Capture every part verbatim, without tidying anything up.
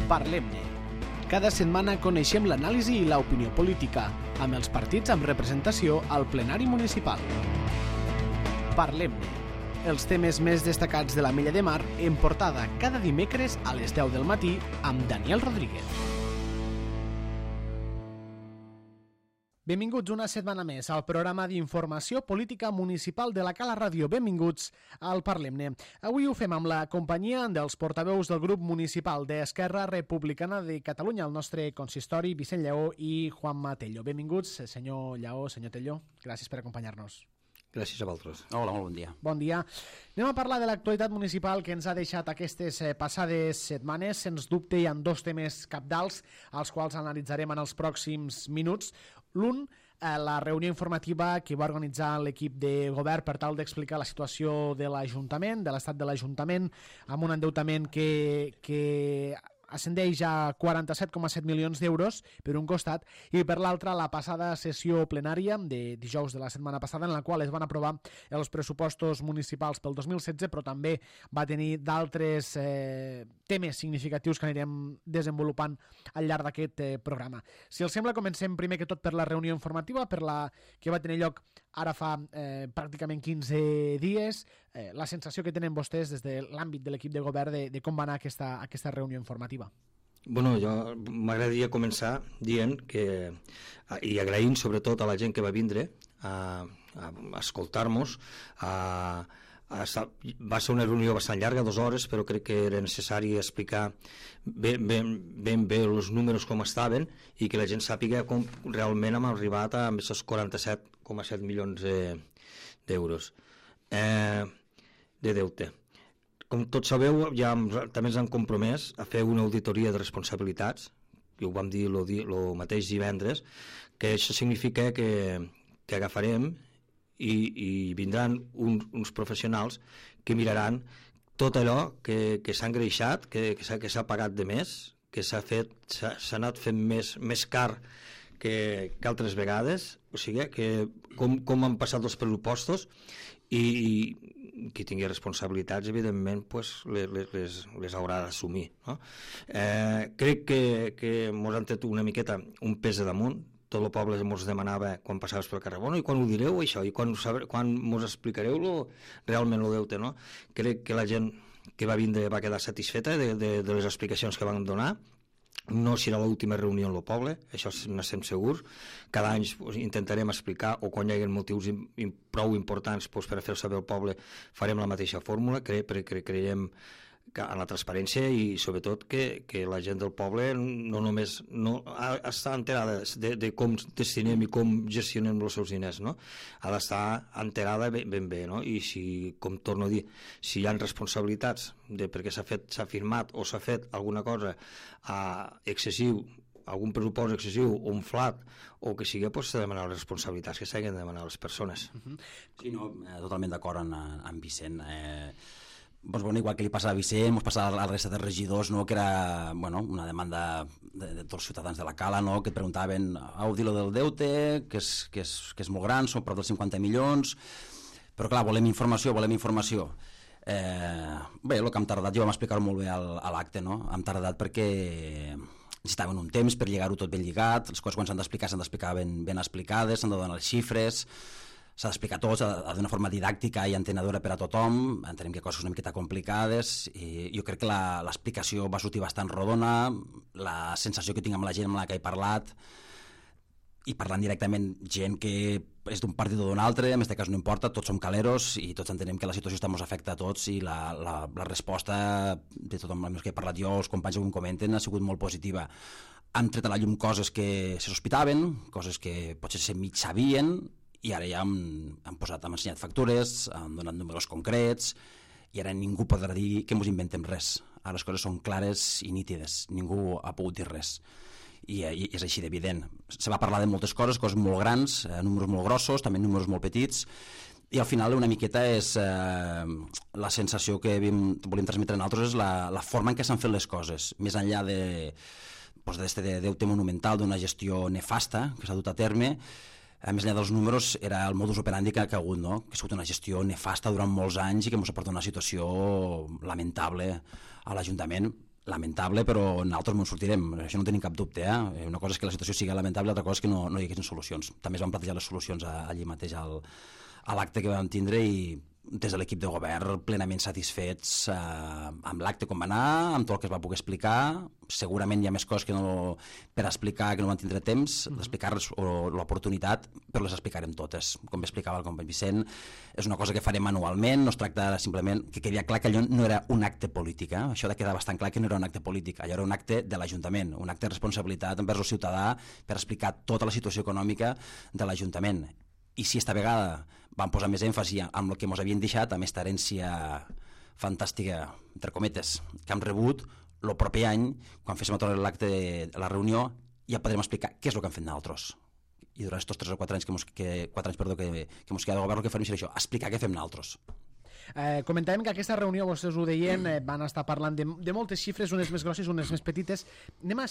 Parlem-ne. Cada setmana coneixem l'anàlisi i l'opinió política, amb els partits amb representació al plenari municipal. Parlem-ne. Els temes més destacats de la Mella de Mar en portada cada dimecres a les deu del matí amb Daniel Rodríguez. Benvinguts una setmana més al programa d'informació política municipal de la Cala Ràdio. Benvinguts al Parlem-ne. Avui ho fem amb la companyia dels portaveus del grup municipal d'Esquerra Republicana de Catalunya, el nostre consistori, Vicent Lleó i Juanma Tello. Benvinguts, senyor Lleó, senyor Tello. Gràcies per acompanyar-nos. Gràcies a vosaltres. Hola, molt bon dia. Bon dia. Anem a parlar de l'actualitat municipal que ens ha deixat aquestes eh, passades setmanes. Sens dubte hi ha dos temes cabdals als quals analitzarem en els pròxims minuts. L'un, eh, la reunió informativa que va organitzar l'equip de govern per tal d'explicar la situació de l'Ajuntament, de l'estat de l'Ajuntament, amb un endeutament que... que ascendeix a quaranta-set coma set milions d'euros per un costat i per l'altre la passada sessió plenària de dijous de la setmana passada en la qual es van aprovar els pressupostos municipals pel dos mil setze, però també va tenir d'altres eh, temes significatius que anirem desenvolupant al llarg d'aquest eh, programa. Si els sembla, comencem primer que tot per la reunió informativa, per la que va tenir lloc ara fa eh, pràcticament quinze dies. Eh, la sensació que tenen vostès des de l'àmbit de l'equip de govern de, de com va anar aquesta, aquesta reunió informativa. Bueno, jo m'agradaria començar dient que, i agraint sobretot a la gent que va vindre a, a escoltar-nos, a, a, va ser una reunió bastant llarga, dues hores, però crec que era necessari explicar ben, ben, ben bé els números com estaven i que la gent sàpiga com realment hem arribat a aquests quaranta-set coma set milions d'euros eh, de deute. Com tots sabeu, ja també ens han compromès a fer una auditoria de responsabilitats, que ho vam dir el mateix divendres, que això significa que, que agafarem i, i vindran un, uns professionals que miraran tot allò que, que s'ha engreixat, que, que s'ha pagat de més, que s'ha fet, s'ha anat fent més, més car que, que altres vegades, o sigui, que com, com han passat els pressupostos i, i qui tingui responsabilitats, evidentment, pues, les, les, les haurà d'assumir. No? Eh, crec que, que mos han tret una miqueta un pes de damunt. Tot el poble ens demanava quan passaves pel carrer, bueno, i quan ho direu això, i quan, quan mos explicareu lo, realment el deute, no? Crec que la gent que va vindre va quedar satisfeta de, de, de les explicacions que van donar. No serà l'última reunió en el poble, això n'estem segurs. Cada any pues, intentarem explicar, o quan hi hagi motius in, in, prou importants pues, per a fer saber al poble, farem la mateixa fórmula, cre, cre, cre, creiem que en la transparència i sobretot que, que la gent del poble no només no, ha, està enterada de, de com destinem i com gestionem els seus diners, no? Ha d'estar enterada ben, ben bé, no? I si, com torno a dir, si hi ha responsabilitats de perquè s'ha fet, s'ha firmat o s'ha fet alguna cosa uh, excessiu, algun pressupost excessiu o un flat o que sigui, doncs s'ha de demanar les responsabilitats que s'hagin de demanar a les persones. Uh-huh. Sí, no, eh, totalment d'acord amb, amb Vicent. Eh, Doncs, bueno, igual que li passa a Vicent, ens passa a la resta de regidors, no? Que era bueno, una demanda de, de tots els ciutadans de la Cala, no? Que et preguntaven, heu dit lo del deute, que és, que, és, que és molt gran, són prop dels cinquanta milions, però clar, volem informació, volem informació. Eh, bé, el que hem tardat, jo vam explicar-ho molt bé al, a l'acte, no? Hem tardat perquè necessitaven un temps per lligar-ho tot ben lligat, les coses quan s'han d'explicar s'han d'explicar ben, ben explicades, s'han de donar les xifres, s'ha d'explicar tot d'una forma didàctica i entenedora per a tothom. Entenem que coses una miqueta complicades i jo crec que l'explicació va sortir bastant rodona, la sensació que tinc amb la gent amb la que he parlat i parlant directament gent que és d'un partit o d'un altre, en aquest cas no importa, tots som caleros i tots entenem que la situació està ens afecta a tots i la, la, la resposta de tothom amb els que he parlat jo, els companys que ho comenten, ha sigut molt positiva. Han tret a la llum coses que se sospitaven, coses que potser se mig sabien, i ara ja hem, hem, posat, hem ensenyat factures, hem donat números concrets i ara ningú podrà dir que ens inventem res. Ara les coses són clares i nítides, ningú ha pogut dir res i, i és així d'evident. Se va parlar de moltes coses, coses molt grans, eh, números molt grossos, també números molt petits, i al final una miqueta és eh, la sensació que hem, volem transmetre a nosaltres és la, la forma en què s'han fet les coses, més enllà de, doncs, d'este deute monumental, d'una gestió nefasta que s'ha dut a terme. A més enllà dels números, era el modus operandi que ha hagut, no? Que ha sigut una gestió nefasta durant molts anys i que ens ha portat una situació lamentable a l'Ajuntament. lamentable, però nosaltres no en sortirem, això no tenim cap dubte. Eh? Una cosa és que la situació sigui lamentable, altra cosa és que no, no hi haguessin solucions. També es van plantejar les solucions allí mateix al, a l'acte que vam tindre i des de l'equip de govern plenament satisfets eh, amb l'acte com va anar, amb tot el que es va poder explicar. Segurament hi ha més coses que no, per explicar que no van tindre temps d'explicar-les o l'oportunitat, però les explicarem totes. Com explicava el company Vicent, és una cosa que farem manualment, no es tracta simplement que quedi clar que allò no era un acte polític, eh? Això de quedar bastant clar que no era un acte polític, allò era un acte de l'Ajuntament, un acte de responsabilitat envers el ciutadà per explicar tota la situació econòmica de l'Ajuntament. I si esta vegada vam posar més èmfasi amb el que ens havien deixat, amb aquesta herència fantàstica, entre cometes, que hem rebut, el proper any, quan féssim a l'acte de la reunió, ja podrem explicar què és el que hem fet nosaltres. I durant aquests tres o quatre anys que mos, que, quatre anys, perdó, que, que mos queda de govern, el que farem serà això, explicar què fem nosaltres. Eh, comentàvem que aquesta reunió, vostès ho deien, eh, van estar parlant de, de moltes xifres, unes més grosses, unes més petites. Anem a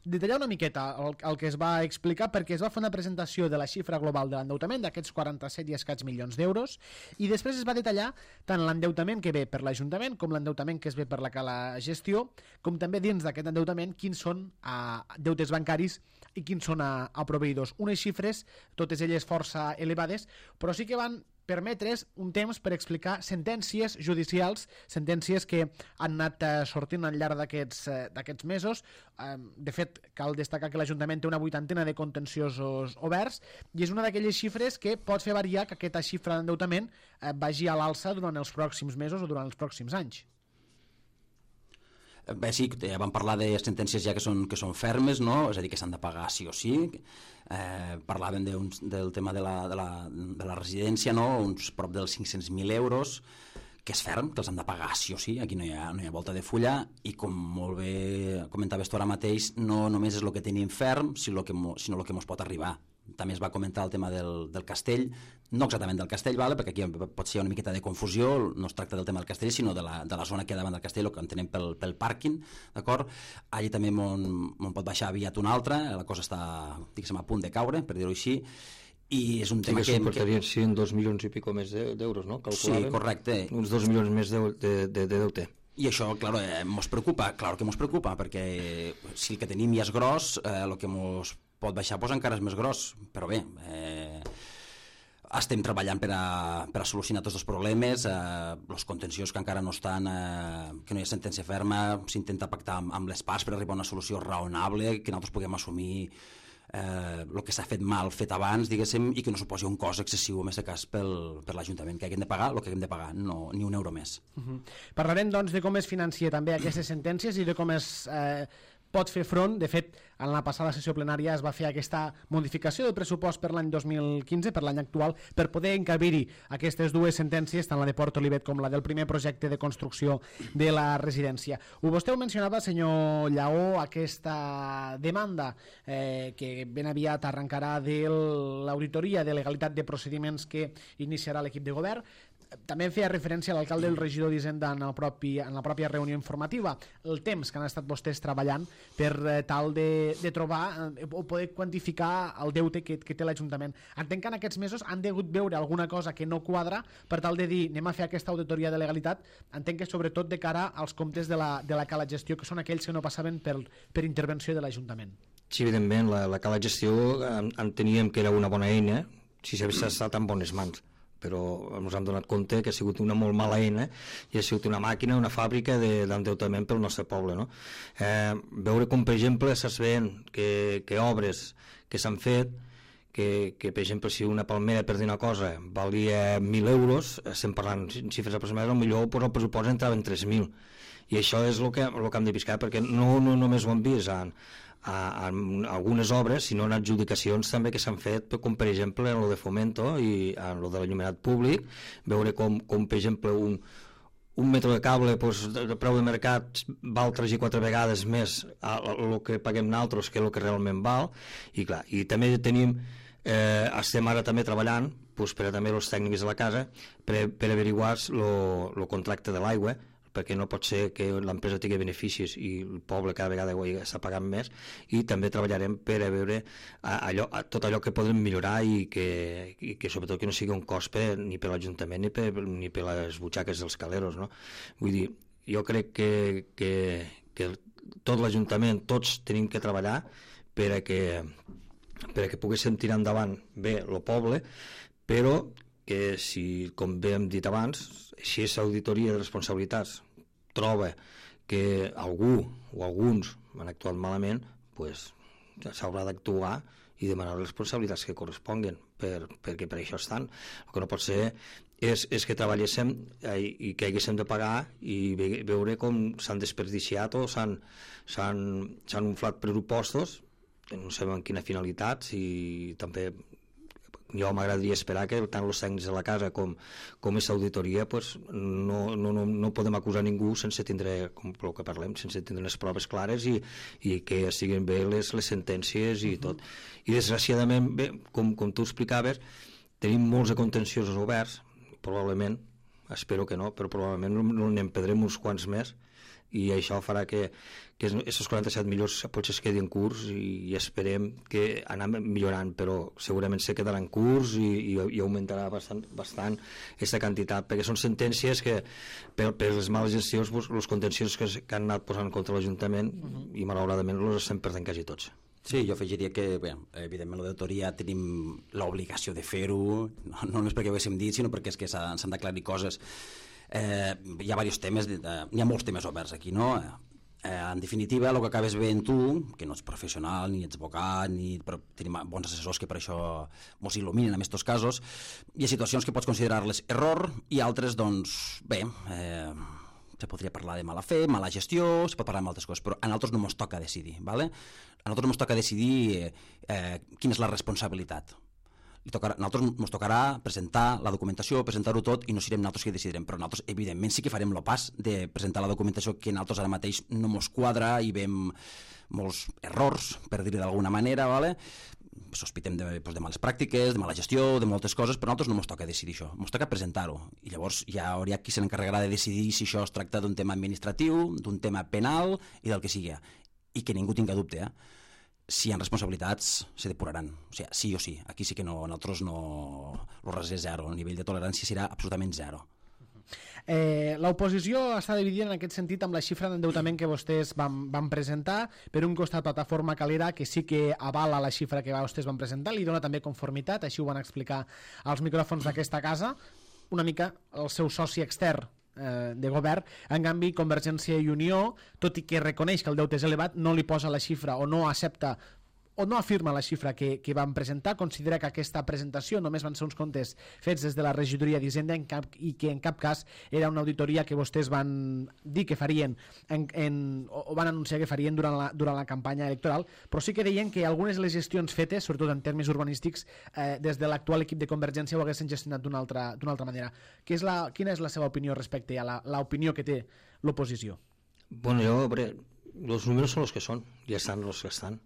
detallar una miqueta el, el que es va explicar, perquè es va fer una presentació de la xifra global de l'endeutament, d'aquests quaranta-set i escaig milions d'euros, i després es va detallar tant l'endeutament que ve per l'Ajuntament com l'endeutament que es ve per la Cala Gestió, com també dins d'aquest endeutament quins són a deutes bancaris i quins són a, a proveïdors. Unes xifres, totes elles força elevades, però sí que van permetre's un temps per explicar sentències judicials, sentències que han anat eh, sortint al llarg d'aquests eh, d'aquests mesos. Eh, de fet, cal destacar que l'Ajuntament té una vuitantena de contenciosos oberts i és una d'aquelles xifres que pot fer variar que aquesta xifra d'endeutament eh, vagi a l'alça durant els pròxims mesos o durant els pròxims anys. Bé, sí, ja vam parlar de sentències ja que són, que són fermes, no? És a dir, que s'han de pagar sí o sí. Eh, parlàvem de un, del tema de la, de, la, de la residència, no? Uns prop dels cinc-cents mil euros, que és ferm, que els han de pagar sí o sí, aquí no hi ha, no hi ha volta de fulla, i com molt bé comentaves tu ara mateix, no només és el que tenim ferm, sinó el que, sinó el que ens pot arribar. També es va comentar el tema del, del castell, no exactament del castell, vale? Perquè aquí pot ser una miqueta de confusió, no es tracta del tema del castell, sinó de la, de la zona que hi ha davant del castell, el que entenem pel, pel pàrquing, d'acord? Allí també m'on pot baixar aviat una altra, la cosa està, diguéssim, a punt de caure, per dir-ho així, i és un tema sí, que... que... portarien sí, dos milions i pico més d'euros, no? Calculàvem. Sí, correcte. Uns dos milions més de, de, de, de deute. I això, clar, eh, mos preocupa, clar que mos preocupa, perquè si el que tenim ja és gros, eh, el que mos pot baixar pues, encara és més gros, però bé, eh, estem treballant per a, per a solucionar tots els problemes, eh, els contenciós que encara no estan, eh, que no hi ha sentència ferma, s'intenta pactar amb, amb les parts per arribar a una solució raonable, que nosaltres puguem assumir eh, el que s'ha fet mal fet abans, diguéssim, i que no suposi un cost excessiu, en aquest cas, pel, per l'Ajuntament, que haguem de pagar el que haguem de pagar, no, ni un euro més. Uh-huh. Parlarem, doncs, de com es financia també aquestes sentències i de com es... Eh, pot fer front. De fet, en la passada sessió plenària es va fer aquesta modificació del pressupost per l'any dos mil quinze, per l'any actual, per poder encabir-hi aquestes dues sentències, tant la de Port Olivet com la del primer projecte de construcció de la residència. Ho vostè ho mencionava, senyor Lleó, aquesta demanda eh, que ben aviat arrencarà de l'auditoria de legalitat de procediments que iniciarà l'equip de govern. També feia referència a l'alcalde i el regidor d'Hisenda en, el propi, en la pròpia reunió informativa, el temps que han estat vostès treballant per eh, tal de, de trobar eh, o poder quantificar el deute que, que té l'Ajuntament. Entenc que en aquests mesos han degut veure alguna cosa que no quadra per tal de dir anem a fer aquesta auditoria de legalitat. Entenc que sobretot de cara als comptes de la, de la Cala Gestió, que són aquells que no passaven per, per intervenció de l'Ajuntament. Sí, evidentment, la, la Cala Gestió enteníem que era una bona eina si s'havia estat en bones mans, però ens hem donat compte que ha sigut una molt mala eina i ha sigut una màquina, una fàbrica d'endeutament pel nostre poble. No? Eh, veure com, per exemple, s'es veient que, que obres que s'han fet, que, que, per exemple, si una palmera, per dir una cosa, valia mil euros, estem parlant en xifres aproximades, potser pues, el pressupost entrava en tres mil. I això és el que, el que hem de piscar, perquè no, no només ho hem vist en, a, a algunes obres, sinó en adjudicacions també que s'han fet, com per exemple en lo de Fomento i en lo de l'enllumenat públic, veure com, com per exemple un, un metre de cable pues, de preu de mercat val tres i quatre vegades més el que paguem nosaltres que el que realment val, i clar, i també tenim eh, estem ara també treballant pues, per a també els tècnics de la casa per, per averiguar el contracte de l'aigua, perquè no pot ser que l'empresa tingui beneficis i el poble cada vegada està pagant més, i també treballarem per a veure allò, tot allò que podem millorar i que, i que sobretot que no sigui un cost per, ni per l'Ajuntament ni per, ni per les butxaques dels caleros, no? Vull dir, jo crec que, que, que tot l'Ajuntament, tots tenim que treballar per a que, per a que poguéssim tirar endavant bé el poble, però que si, com bé hem dit abans, si és auditoria de responsabilitats troba que algú o alguns han actuat malament, pues, s'haurà d'actuar i demanar les responsabilitats que corresponguen, per, perquè per això estan. El que no pot ser és, és que treballéssim eh, i que haguéssim de pagar i ve, veure com s'han desperdiciat o s'han inflat pressupostos, no sabem amb quina finalitat, i també jo m'agradaria esperar que tant els tècnics de la casa com, com aquesta auditoria pues, no, no, no, no podem acusar ningú sense tindre, com el que parlem, sense tindre les proves clares i, i que siguin bé les, les sentències i uh-huh. tot. I desgraciadament, bé, com, com tu explicaves, tenim molts de contenciosos oberts, probablement, espero que no, però probablement no n'en perdrem uns quants més, i això farà que, que aquests quaranta-set milions potser es quedin curts i, i esperem que anem millorant, però segurament se quedarà en curs i, i, i augmentarà bastant bastant aquesta quantitat, perquè són sentències que per, per les males gestions els contenciosos que, que han anat posant contra l'Ajuntament uh-huh. i malauradament els estem perdent quasi tots. Sí, jo afegiria que, bé, evidentment, l'auditoria tenim l'obligació de fer-ho, no, no només perquè ho haguéssim dit, sinó perquè és que s'han d'aclarir coses. Eh, hi ha diversos temes, eh, hi ha molts temes oberts aquí, no? Eh, en definitiva, el que acabes veient tu, que no ets professional, ni ets advocat, ni, però tenim bons assessors que per això ens il·luminen en aquests casos, hi ha situacions que pots considerar-les error i altres, doncs, bé, eh, se podria parlar de mala fe, mala gestió, se pot parlar de moltes coses, però a nosaltres no ens toca decidir, ¿vale? A nosaltres no ens toca decidir eh, quina és la responsabilitat. Li tocarà, a nosaltres ens tocarà presentar la documentació, presentar-ho tot, i no serem nosaltres que decidirem, però nosaltres evidentment sí que farem el pas de presentar la documentació que nosaltres ara mateix no ens quadra i veiem molts errors, per dir-ho d'alguna manera, ¿vale? Sospitem de, pues, de males pràctiques, de mala gestió, de moltes coses, però a nosaltres no ens toca decidir això, ens toca presentar-ho, i llavors ja hauria qui se n'encarregarà de decidir si això es tracta d'un tema administratiu, d'un tema penal i del que sigui, i que ningú tinga dubte, eh? Si hi ha responsabilitats, se depuraran. O sigui, sí o sí. Aquí sí que no, nosaltres no... El res és zero. El nivell de tolerància serà absolutament zero. Eh, L'oposició està dividida en aquest sentit amb la xifra d'endeutament que vostès van, van presentar. Per un costat, Plataforma Calera, que sí que avala la xifra que vostès van presentar, li dona també conformitat, així ho van explicar als micròfons d'aquesta casa, una mica el seu soci extern de govern. En canvi, Convergència i Unió, tot i que reconeix que el deute és elevat, no li posa la xifra o no accepta o no afirma la xifra que, que van presentar, considera que aquesta presentació només van ser uns comptes fets des de la regidoria d'Hisenda i que en cap cas era una auditoria que vostès van dir que farien en, en, o van anunciar que farien durant la, durant la campanya electoral, però sí que deien que algunes de les gestions fetes, sobretot en termes urbanístics, eh, des de l'actual equip de Convergència ho haguessin gestionat d'una altra, d'una altra manera. Que és la, quina és la seva opinió respecte a l'opinió que té l'oposició? Bueno, jo, hombre, els números són els que són, ja estan els que estan.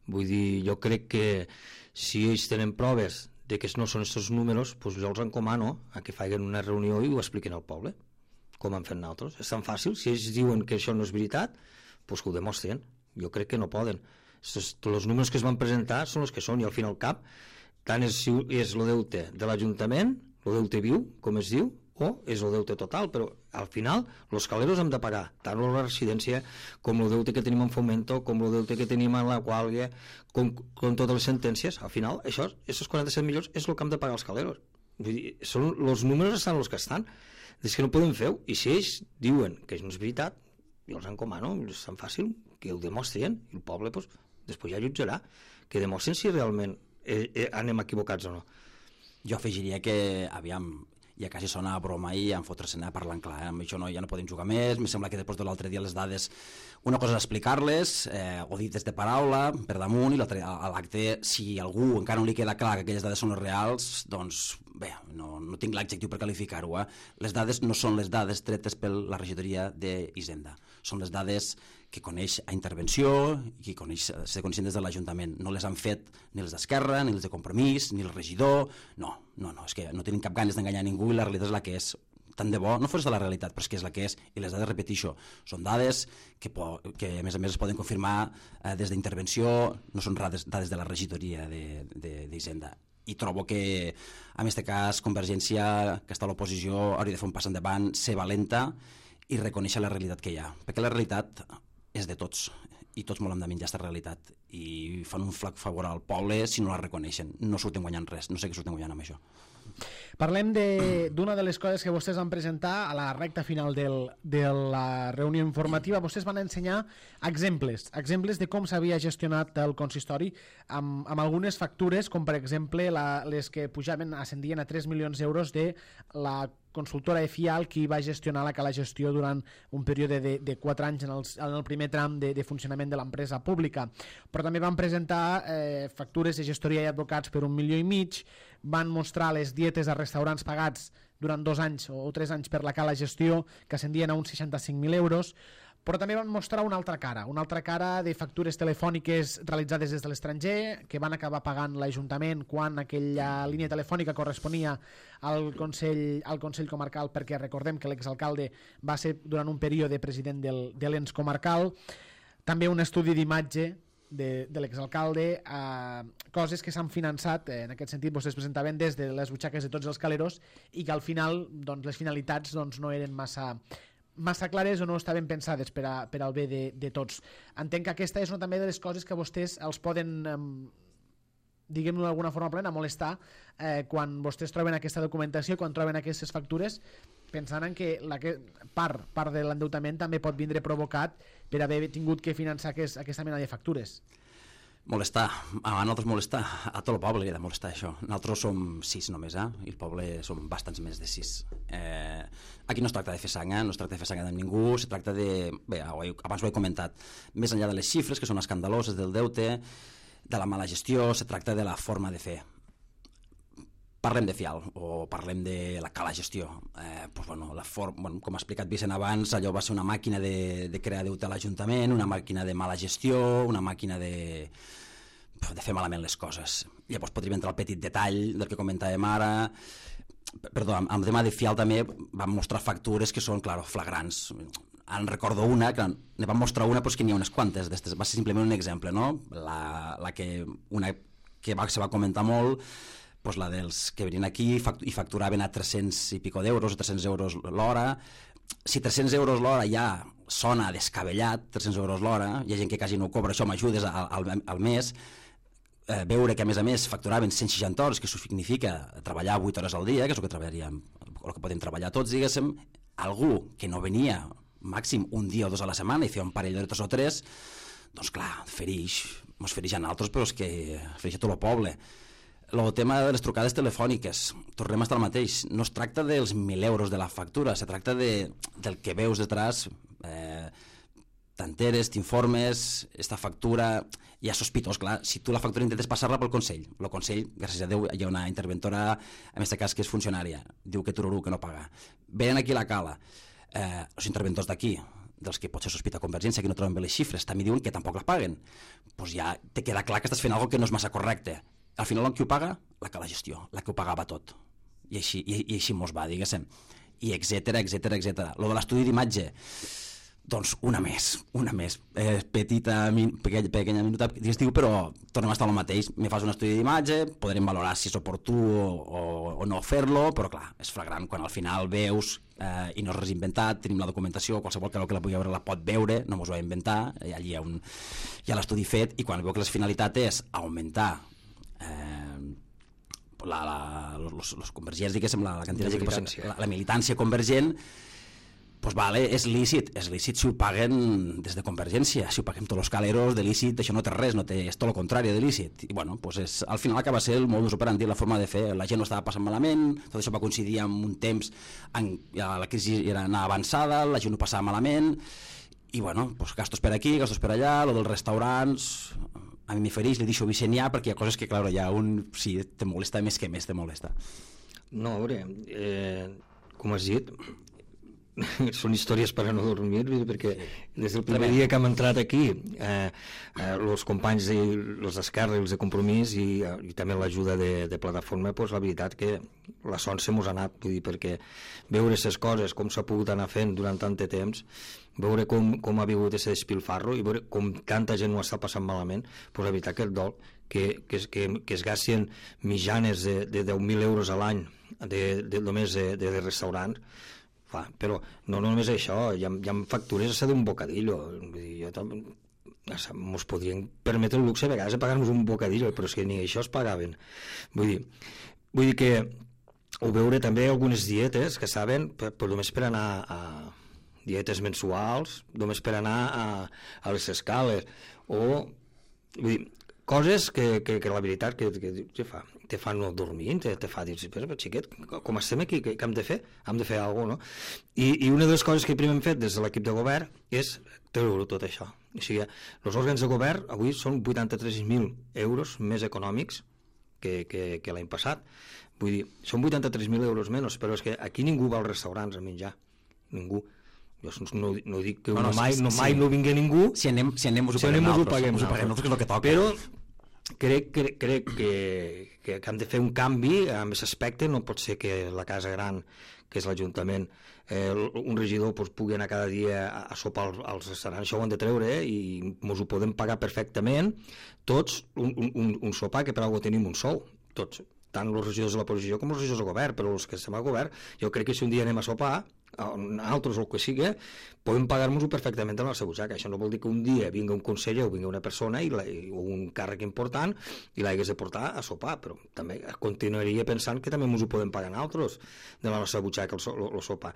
Vull dir, jo crec que si ells tenen proves de que no són aquests números, doncs jo els encomano a que facin una reunió i ho expliquin al poble, com han fet nosaltres. És tan fàcil, si ells diuen que això no és veritat, doncs que ho demostren. Jo crec que no poden. Els números que es van presentar són els que són, i al fin i al cap, tant és, és el deute de l'Ajuntament, el deute viu, com es diu, o és el deute total, però al final els caleros hem de pagar tant la residència com el deute que tenim en Fomento, com el deute que tenim en la Quàlia, com, com totes les sentències. Al final, això, aquests quaranta-set milions és el que hem de pagar els caleros. Vull dir, són, els números estan els que estan. És que no podem fer-ho, i si ells diuen que no és veritat, jo els encomano, és tan fàcil, que ho demostren, i el poble doncs, després ja jutjarà, que demostren si realment eh, eh, anem equivocats o no. Jo afegiria que, aviam, ja quasi sona a broma i en fotre-se'n a parlant clar, eh? Amb això no, ja no podem jugar més. Em sembla que després de l'altre dia les dades, una cosa és explicar-les eh, o dir des de paraula per damunt, i l'altre a l'acte, si algú encara no li queda clar que aquelles dades són les reals, doncs bé, no, no tinc l'adjectiu per qualificar-ho, eh? Les dades no són les dades tretes per la regidoria d'Hisenda, són les dades que coneix a intervenció i que coneix, se coneixen des de l'Ajuntament. No les han fet ni els d'Esquerra, ni els de Compromís, ni el regidor. No, no, no, és que no tenim cap ganes d'enganyar ningú i la realitat és la que és. Tant de bo, no fos de la realitat, però és que és la que és, i les dades, repeteixo, són dades que, po que a més a més es poden confirmar eh, des d'intervenció, no són dades, dades de la regidoria d'Hisenda. I trobo que, en aquest cas, Convergència, que està a l'oposició, hauria de fer un pas endavant, ser valenta i reconèixer la realitat que hi ha. Perquè la realitat és de tots, i tots volem de menjar aquesta realitat, i fan un flac favor al poble si no la reconeixen. No surten guanyant res, no sé què surten guanyant amb això. Parlem d'una de, de les coses que vostès van presentar a la recta final del, de la reunió informativa. Vostès van ensenyar exemples, exemples de com s'havia gestionat el consistori amb, amb algunes factures, com per exemple la, les que pujaven, ascendien a tres milions d'euros de la consultora E F I A L, qui va gestionar la cala gestió durant un període de, de quatre anys en, els, en el primer tram de, de funcionament de l'empresa pública. Però també van presentar eh, factures de gestoria i advocats per un milió i mig, van mostrar les dietes a restaurants pagats durant dos anys o tres anys per la cala gestió, que ascendien a uns seixanta-cinc mil euros, però també van mostrar una altra cara, una altra cara de factures telefòniques realitzades des de l'estranger, que van acabar pagant l'Ajuntament quan aquella línia telefònica corresponia al Consell, al Consell Comarcal, perquè recordem que l'exalcalde va ser durant un període president del, de l'ens comarcal. També un estudi d'imatge de, de l'exalcalde, eh, coses que s'han finançat, eh, en aquest sentit vostès presentaven des de les butxaques de tots els caleros, i que al final doncs, les finalitats doncs, no eren massa massa clares o no estaven pensades per, a, per al bé de, de tots. Entenc que aquesta és una també de les coses que vostès els poden, eh, diguem-ho d'alguna forma plena, molestar eh, quan vostès troben aquesta documentació, quan troben aquestes factures, pensant en que la que, part, part de l'endeutament també pot vindre provocat per haver tingut que finançar aquest, aquesta mena de factures. Molestar, a nosaltres molestar, a tot el poble li ha de molestar això. Nosaltres som sis només, eh? I el poble som bastants més de sis. Eh, aquí no es tracta de fer sang, eh? No es tracta de fer sang de ningú, se tracta de... Bé, abans ho he comentat, més enllà de les xifres, que són escandaloses del deute, de la mala gestió, se tracta de la forma de fer. Parlem de F I A L o parlem de la cala gestió. Eh, doncs, bueno, la for... bueno, com ha explicat Vicent abans, allò va ser una màquina de, de crear deute a l'Ajuntament, una màquina de mala gestió, una màquina de, de fer malament les coses. Llavors podríem entrar al petit detall del que comentàvem ara. Perdó, amb el tema de F I A L també vam mostrar factures que són, clar, flagrants. En recordo una, que ne vam mostrar una, però és que n'hi ha unes quantes. Va ser simplement un exemple, no? La, la que, una que va, se va comentar molt, pues la dels que venien aquí i facturaven a tres-cents i pico d'euros o tres-cents euros l'hora. Si tres-cents euros l'hora ja sona descabellat, tres-cents euros l'hora, hi ha gent que quasi no cobra, això m'ajudes al, al, al mes, eh, veure que a més a més facturaven cent seixanta hores, que això significa treballar vuit hores al dia, que és el que treballaríem, el que podem treballar tots, diguéssim, algú que no venia màxim un dia o dos a la setmana i feia un parell d'hores o tres, doncs clar, ferix, mos ferix a nosaltres, però és que ferix a tot el poble. El tema de les trucades telefòniques, tornem a estar al mateix. No es tracta dels mil euros de la factura, se tracta de, del que veus detrás, eh, t'enteres, t'informes, esta factura, hi ha sospitós, clar. Si tu la factura intentes passar-la pel Consell, el Consell, gràcies a Déu, hi ha una interventora, en aquest cas que és funcionària, diu que tururú, que no paga. Venen aquí a la cala, eh, els interventors d'aquí, dels que potser sospita Convergència, que no troben bé les xifres, també diuen que tampoc la paguen. Doncs ja te queda clar que estàs fent alguna cosa que no és massa correcte. Al final, qui ho paga? La cala gestió, la que ho pagava tot. I així, i, i així mos va, diguéssim. I etcètera, etcètera, etcètera. Lo de l'estudi d'imatge, doncs una més, una més. Eh, petita, min, pequeña, pequeña minuta, diu, però tornem a estar al mateix. Me fas un estudi d'imatge, podrem valorar si és oportú o, o, o no fer-lo, però clar, és flagrant quan al final veus eh, i no és res inventat, tenim la documentació, qualsevol que la pugui veure la pot veure, no mos ho va inventar, allí hi ha, un, hi ha l'estudi fet, i quan veu que la finalitat és augmentar Eh, la, la, los, los convergents, diguéssim, la, la quantitat de militància. La, la militància convergent, pues vale, és lícit, és lícit si ho paguen des de Convergència, si ho paguem tots els caleros de lícit, això no té res, no té, és tot el contrari de lícit. I bueno, pues és, al final acaba ser el modus operandi, la forma de fer, la gent no estava passant malament, tot això va coincidir amb un temps en la crisi era anar avançada, la gent ho passava malament, i bueno, pues gastos per aquí, gastos per allà, lo dels restaurants... A mi m'hi fereix, li deixo Vicent ja, perquè hi ha coses que, clar, ja un, sí, te molesta més que més te molesta. No, a veure, eh, com has dit, són històries per a no dormir, perquè des del primer dia que hem entrat aquí, eh, eh, els companys de, els d'Esquerra i els de Compromís i, i també l'ajuda de, de Plataforma, pues, la veritat que la son se mos ha anat, vull dir, perquè veure aquestes coses, com s'ha pogut anar fent durant tant de temps, veure com, com ha vingut aquest despilfarro i veure com tanta gent ho està passant malament, pues la veritat que el dol, que, que, que, que es gasten mitjanes de, de deu mil euros a l'any de, de, només de, de, de restaurants, fa, però no, no només això, hi ha, hi ha factures a ser d'un bocadillo, vull dir, jo també ens podrien permetre el luxe a vegades de pagar-nos un bocadillo, però és que ni això es pagaven. Vull dir, vull dir que o veure també algunes dietes que saben, per, per només per anar a dietes mensuals, només per anar a, a les escales, o vull dir, coses que, que, que la veritat que, que, que fa, te fan no dormir, te, te fa dir, però xiquet, com estem aquí, què, què hem de fer? Hem de fer alguna cosa, no? I, I una de les coses que primer hem fet des de l'equip de govern és treure tot això. O sigui, els òrgans de govern avui són vuitanta-tres mil euros més econòmics que, que, que l'any passat. Vull dir, són vuitanta-tres mil euros menys, però és que aquí ningú va als restaurants a menjar. Ningú. Jo no, no dic que no, no, mai, no, mai sí. no vingui ningú. Si anem, si anem, us ho si paguem nosaltres. Ho paguem, ho paguem nosaltres, que és el que toca. Però crec, crec, crec que, que, que hem de fer un canvi en aquest aspecte. No pot ser que la casa gran, que és l'Ajuntament, eh, un regidor pues, pugui anar cada dia a, a sopar als, als restaurants. Això ho han de treure eh, i ens ho podem pagar perfectament tots un, un, un sopar que per alguna tenim un sou, tots, tant els regidors de l'oposició com els regidors del govern, però els que estem al govern, jo crec que si un dia anem a sopar, altres o el que sigui, podem pagar-nos-ho perfectament a la nostra butxaca. Això no vol dir que un dia vinga un conseller o vinga una persona i la, o un càrrec important i l'hagués de portar a sopar, però també continuaria pensant que també ens ho podem pagar nosaltres de la nostra butxaca el, el, el sopar.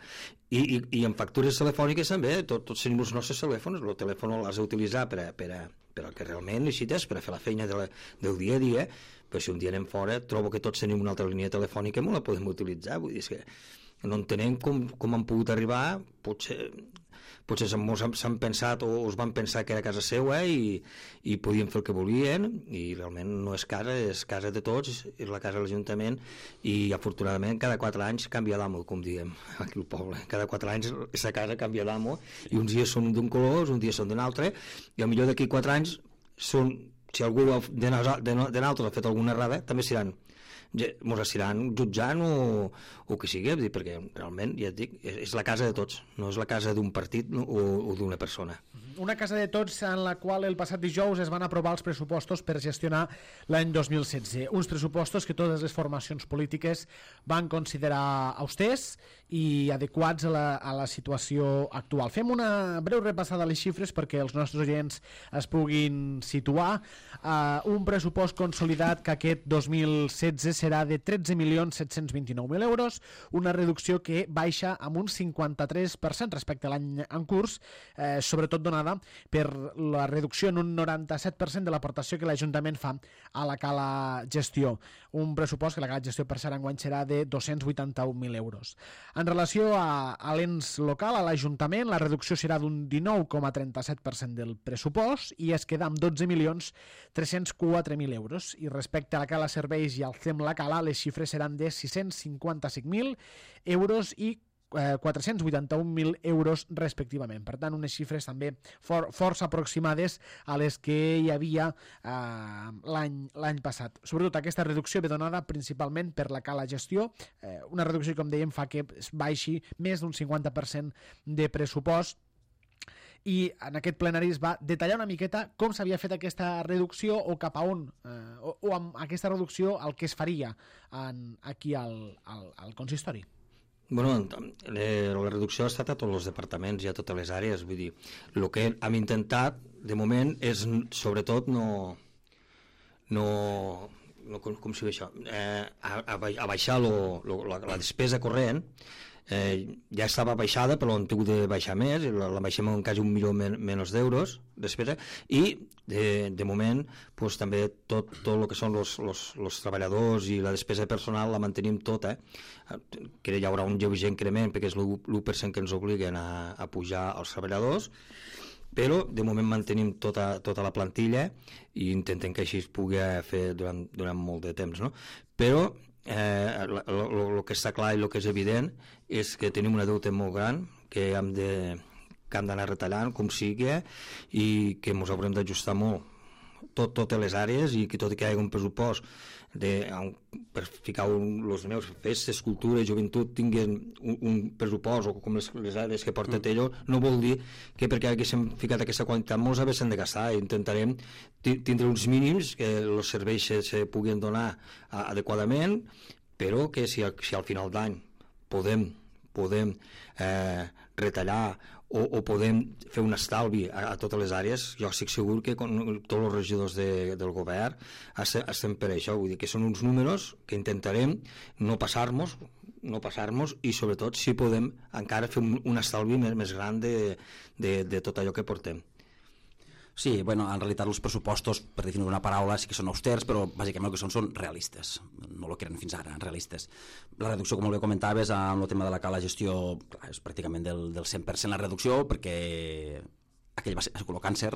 I, i, i en factures telefòniques també, tot, tots tenim els nostres telèfons, el telèfon l'has d'utilitzar per, a, per, a, per al que realment necessites, per a fer la feina de la, del dia a dia, però si un dia anem fora trobo que tots tenim una altra línia telefònica i no la podem utilitzar, vull dir que no entenem com, com han pogut arribar, potser, potser s'han pensat o es van pensar que era casa seva i, i podien fer el que volien i realment no és casa, és casa de tots, és la casa de l'Ajuntament i afortunadament cada quatre anys canvia d'amo, com diem aquí al poble, cada quatre anys aquesta casa canvia d'amo i uns dies són d'un color, uns dies són d'un altre i potser d'aquí quatre anys són, si algú de nosaltres ha fet alguna errada, també seran ens aniran jutjant o, o que sigui, perquè realment, ja et dic, és la casa de tots, no és la casa d'un partit o, o d'una persona. Una casa de tots en la qual el passat dijous es van aprovar els pressupostos per gestionar l'any dos mil setze. Uns pressupostos que totes les formacions polítiques van considerar austers i adequats a la, a la situació actual. Fem una breu repassada a les xifres perquè els nostres oients es puguin situar. Uh, un pressupost consolidat que aquest dos mil setze serà de tretze milions set-cents vint-i-nou mil euros, una reducció que baixa amb un cinquanta-tres per cent respecte a l'any en curs, eh, sobretot donada per la reducció en un noranta-set per cent de l'aportació que l'Ajuntament fa a la cala gestió. Un pressupost que la cala gestió per cert enguany serà de dos-cents vuitanta-un mil euros. En relació a, a l'ens local, a l'Ajuntament, la reducció serà d'un dinou coma trenta-set per cent del pressupost i es queda amb dotze milions tres-cents quatre mil euros. I respecte a la cala serveis i al C E M la cala, les xifres seran de sis-cents cinquanta-cinc mil euros i quatre-cents vuitanta-un mil euros respectivament. Per tant, unes xifres també for, força aproximades a les que hi havia eh, l'any l'any passat. Sobretot aquesta reducció ve donada principalment per la cala gestió, eh, una reducció que, com dèiem, fa que es baixi més d'un cinquanta per cent de pressupost i en aquest plenari es va detallar una miqueta com s'havia fet aquesta reducció o cap a on, eh, o, o amb aquesta reducció el que es faria en, aquí al, al, al consistori. Bueno, eh, la reducció ha estat a tots els departaments i a totes les àrees, vull dir, el que hem intentat de moment és sobretot no, no, no com, com s'hi ve això, eh, a, a baixar lo, lo, la, la despesa corrent. Eh, ja estava baixada però hem tingut de baixar més, la, la baixem en quasi un milió men, menys d'euros despesa i de, de moment pues, també tot, tot el que són els treballadors i la despesa personal la mantenim tota, eh? que hi haurà un lleuger increment perquè és l'u per cent que ens obliguen a, a pujar els treballadors, però de moment mantenim tota, tota la plantilla i intentem que així es pugui fer durant, durant molt de temps, no? Però el eh, que està clar i el que és evident és que tenim una deute molt gran que hem de que hem d'anar retallant com sigui i que ens haurem d'ajustar molt tot, totes les àrees i que tot i que hi hagi un pressupost de, per ficar un, els meus festes, cultura i joventut tinguin un, un pressupost o com les, les àrees que porta Tello, no vol dir que perquè haguéssim ficat aquesta quantitat molts haguéssim de gastar. Intentarem tindre uns mínims que els serveis se, se puguin donar adequadament, però que si, si al final d'any podem podem eh, retallar o, o podem fer un estalvi a, a totes les àrees, jo estic segur que con, tots els regidors de, del govern estem, estem per això, vull dir que són uns números que intentarem no passar-nos no passar-nos i sobretot si podem encara fer un, un estalvi més, més gran de, de, de tot allò que portem. Sí, bueno, en realitat els pressupostos, per definir una paraula, sí que són austers, però bàsicament el que són són realistes, no el que eren fins ara, realistes. La reducció, com bé comentaves, amb el tema de la cala gestió, clar, és pràcticament del, del cent per cent la reducció, perquè aquell va ser el càncer,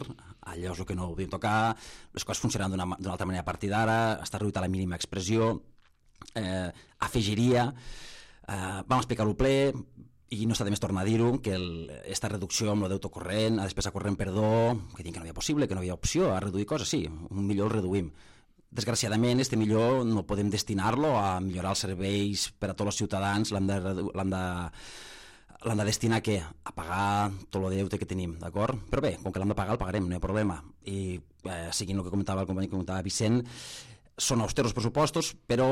allò és el que no podíem tocar, les coses funcionaran d'una altra manera a partir d'ara, està reduït a la mínima expressió, eh, afegiria, eh, vam explicar-ho ple, i no està de més tornar a dir-ho, que aquesta reducció amb el deute corrent, a despesa corrent, perdó, que diuen que no hi havia possible, que no hi havia opció a reduir coses, sí, un millor el reduïm. Desgraciadament, este millor no podem destinar-lo a millorar els serveis per a tots els ciutadans, l'hem de, l'hem de, l'hem de destinar a què? A pagar tot el deute que tenim, d'acord? Però bé, com que l'hem de pagar, el pagarem, no hi ha problema. I eh, seguint el que comentava el company que comentava Vicent, són austers els pressupostos, però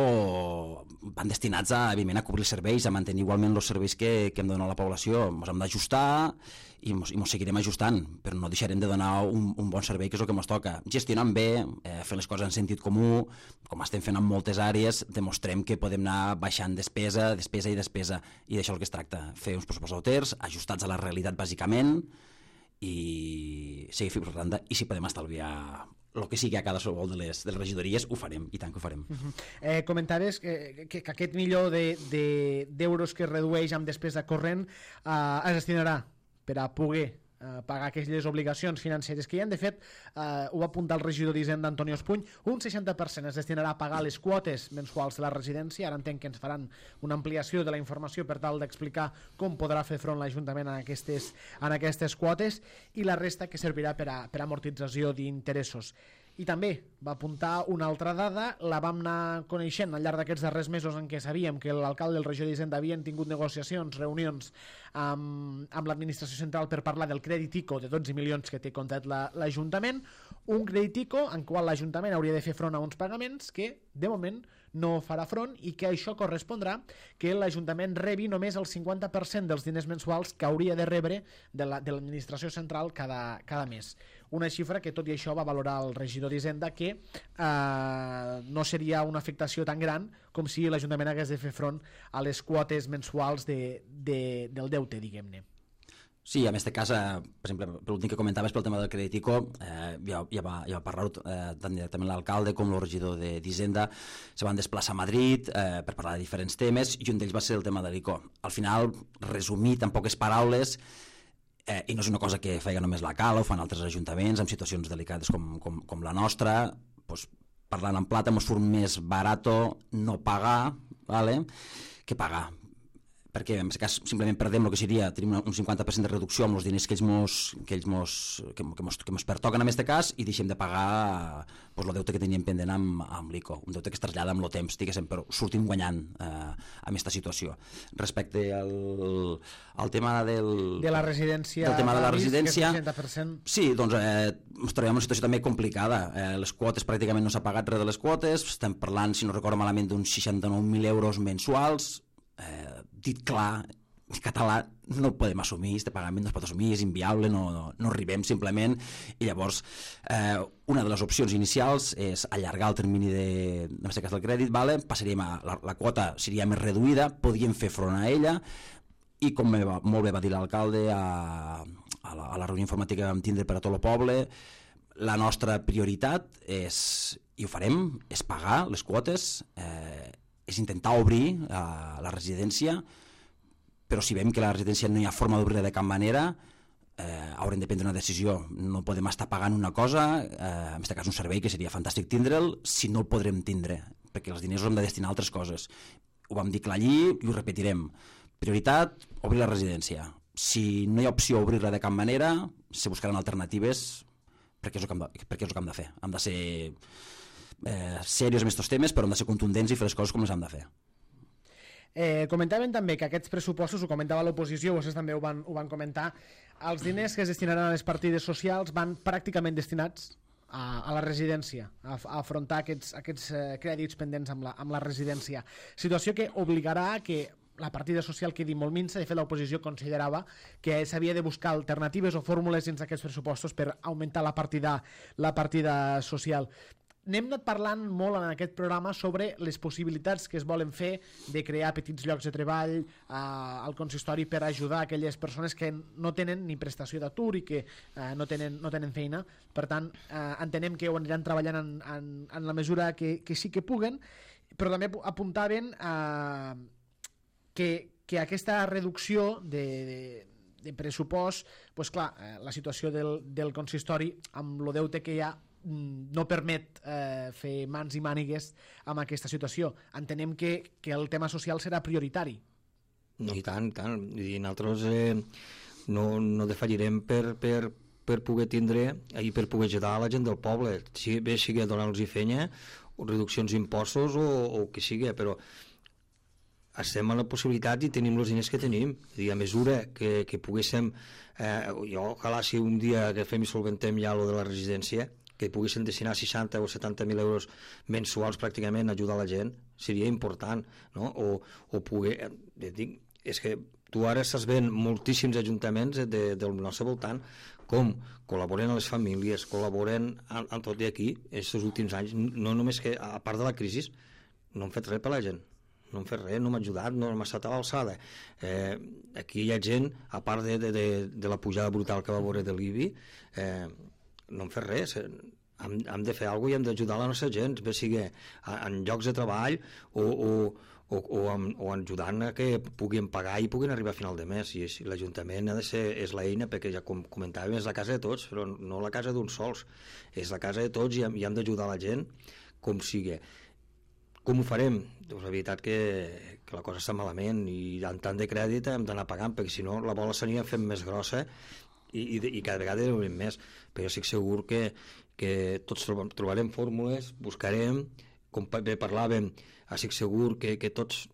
van destinats a, evidentment, a cobrir els serveis, a mantenir igualment els serveis que, que hem de donar a la població. Ens hem d'ajustar i ens seguirem ajustant, però no deixarem de donar un, un bon servei, que és el que ens toca. Gestionant bé, eh, fent les coses en sentit comú, com estem fent en moltes àrees, demostrem que podem anar baixant despesa, despesa i despesa, i d'això el que es tracta, fer uns pressupostos austers, ajustats a la realitat bàsicament, i seguir fent propaganda, i si podem estalviar el que sigui a cada qualsevol de les, de les regidories, ho farem, i tant que ho farem. Uh -huh. eh, comentaves que, que, que aquest milió de, de, d'euros que es redueix amb despesa corrent eh, es destinarà per a poder eh, pagar aquelles obligacions financeres que hi ha. De fet, eh, ho va apuntar el regidor d'Hisenda, Antonio Espuny, un seixanta per cent es destinarà a pagar les quotes mensuals de la residència. Ara entenc que ens faran una ampliació de la informació per tal d'explicar com podrà fer front l'Ajuntament en aquestes, en aquestes quotes, i la resta que servirà per a, per a amortització d'interessos. I també va apuntar una altra dada, la vam anar coneixent al llarg d'aquests darrers mesos en què sabíem que l'alcalde i el regidor d'Hisenda havien tingut negociacions, reunions amb, amb l'administració central per parlar del crèdit ICO de dotze milions que té comptat la, l'Ajuntament, un crèdit ICO en qual l'Ajuntament hauria de fer front a uns pagaments que, de moment, no farà front, i que això correspondrà que l'Ajuntament rebi només el cinquanta per cent dels diners mensuals que hauria de rebre de, la, de l'administració central cada, cada mes. Una xifra que, tot i això, va valorar el regidor d'Hisenda que eh, no seria una afectació tan gran com si l'Ajuntament hagués de fer front a les quotes mensuals de, de, del deute, diguem-ne. Sí, en aquest cas, eh, per exemple, per l'últim que comentaves pel tema del crèdit ICO, eh, ja, ja, va, ja va parlar eh, tant directament l'alcalde com el regidor d'Hisenda, se van desplaçar a Madrid eh, per parlar de diferents temes, i un d'ells va ser el tema de l'ICO. Al final, resumit en poques paraules, eh, i no és una cosa que feia només la Cala, ho fan altres ajuntaments en situacions delicades com, com, com la nostra, doncs, parlant en plata, ens surt més barato no pagar, vale, que pagar, perquè en aquest cas simplement perdem el que seria, tenim un cinquanta per cent de reducció amb els diners que ells mos, que ells mos, que, que mos, que mos pertoquen en aquest cas, i deixem de pagar pues, el deute que teníem pendent amb, amb l'ICO, un deute que es trasllada amb el temps, diguéssim, però sortim guanyant eh, amb aquesta situació. Respecte al, al tema del... De la residència... Del tema de la residència... seixanta per cent. Sí, doncs eh, ens trobem en una situació també complicada. Eh, les quotes pràcticament no s'ha pagat res de les quotes, estem parlant, si no recordo malament, d'uns seixanta-nou mil euros mensuals. Eh, dit clar, en català no el podem assumir, este pagament no es pot assumir, és inviable, no, no, no arribem simplement, i llavors eh, una de les opcions inicials és allargar el termini de, en aquest cas del crèdit, vale? Passaríem a, la, la quota seria més reduïda, podíem fer front a ella, i com va, molt bé va dir l'alcalde a, a, la, a la reunió informàtica que vam tindre per a tot el poble, la nostra prioritat és, i ho farem, és pagar les quotes, eh, és intentar obrir uh, la residència, però si veiem que la residència no hi ha forma d'obrir de cap manera, eh, haurem de prendre una decisió. No podem estar pagant una cosa, eh, en aquest cas un servei que seria fantàstic tindre'l, si no el podrem tindre, perquè els diners els hem de destinar a altres coses. Ho vam dir clar allí i ho repetirem. Prioritat, obrir la residència. Si no hi ha opció obrir-la de cap manera, se buscaran alternatives, perquè és el que hem de, perquè és el que hem de fer. Hem de ser... Eh, serios en aquests temes, però hem de ser contundents i fer les coses com les hem de fer. Eh, comentaven també que aquests pressupostos, ho comentava l'oposició, vostès també ho van, ho van comentar, els diners que es destinaran a les partides socials van pràcticament destinats a, a la residència, a, a afrontar aquests, aquests eh, crèdits pendents amb la, amb la residència. Situació que obligarà a que la partida social quedi molt minsa. De fet, l'oposició considerava que s'havia de buscar alternatives o fórmules dins d'aquests pressupostos per augmentar la partida, la partida social. N'hem anat parlant molt en aquest programa sobre les possibilitats que es volen fer de crear petits llocs de treball eh, al consistori per ajudar aquelles persones que no tenen ni prestació d'atur i que eh, no, tenen, no tenen feina. Per tant, eh, entenem que ho aniran treballant en, en, en la mesura que, que sí que puguen, però també apuntaven eh, que, que aquesta reducció de, de, de pressupost, pues clar, eh, la situació del, del consistori amb el deute que hi ha no permet eh, fer mans i mànigues amb aquesta situació. Entenem que, que el tema social serà prioritari. No, i tant, tant. I nosaltres eh, no, no defallirem per, per, per poder tindre i per poder ajudar a la gent del poble, si bé sigui donar-los feina o reduccions d'impostos o, o que sigui, però estem a la possibilitat i tenim els diners que tenim. I a mesura que, que poguéssim, eh, jo ojalà si un dia agafem i solventem ja lo de la residència, que poguessin destinar seixanta o setanta mil euros mensuals pràcticament a ajudar la gent, seria important, no? O, o poder... Eh, dic, és que tu ara estàs veient moltíssims ajuntaments de, del nostre voltant com col·laboren a les famílies, col·laboren en, en tot i aquí, aquests últims anys, no només que, a part de la crisi, no han fet res per la gent. No hem fet res, no m'ha ajudat, no m'ha estat a l'alçada. Eh, aquí hi ha gent, a part de, de, de, de la pujada brutal que va veure de l'I B I, eh, no hem fet res, hem, hem de fer alguna cosa i hem d'ajudar la nostra gent, bé sigui en llocs de treball o, o, o, o, amb, o ajudant a que puguin pagar i puguin arribar a final de mes. I l'Ajuntament ha de ser, és l'eina, perquè ja com comentàvem, és la casa de tots, però no la casa d'uns sols, és la casa de tots i hem, i hem d'ajudar la gent com sigui. Com ho farem? Doncs la veritat que, que la cosa està malament i en tant de crèdit hem d'anar pagant, perquè si no la bola s'aniria fent més grossa i, i, i cada vegada hi haurem més, però jo estic segur que, que tots trobarem fórmules, buscarem, com bé parlàvem, estic segur que, que tots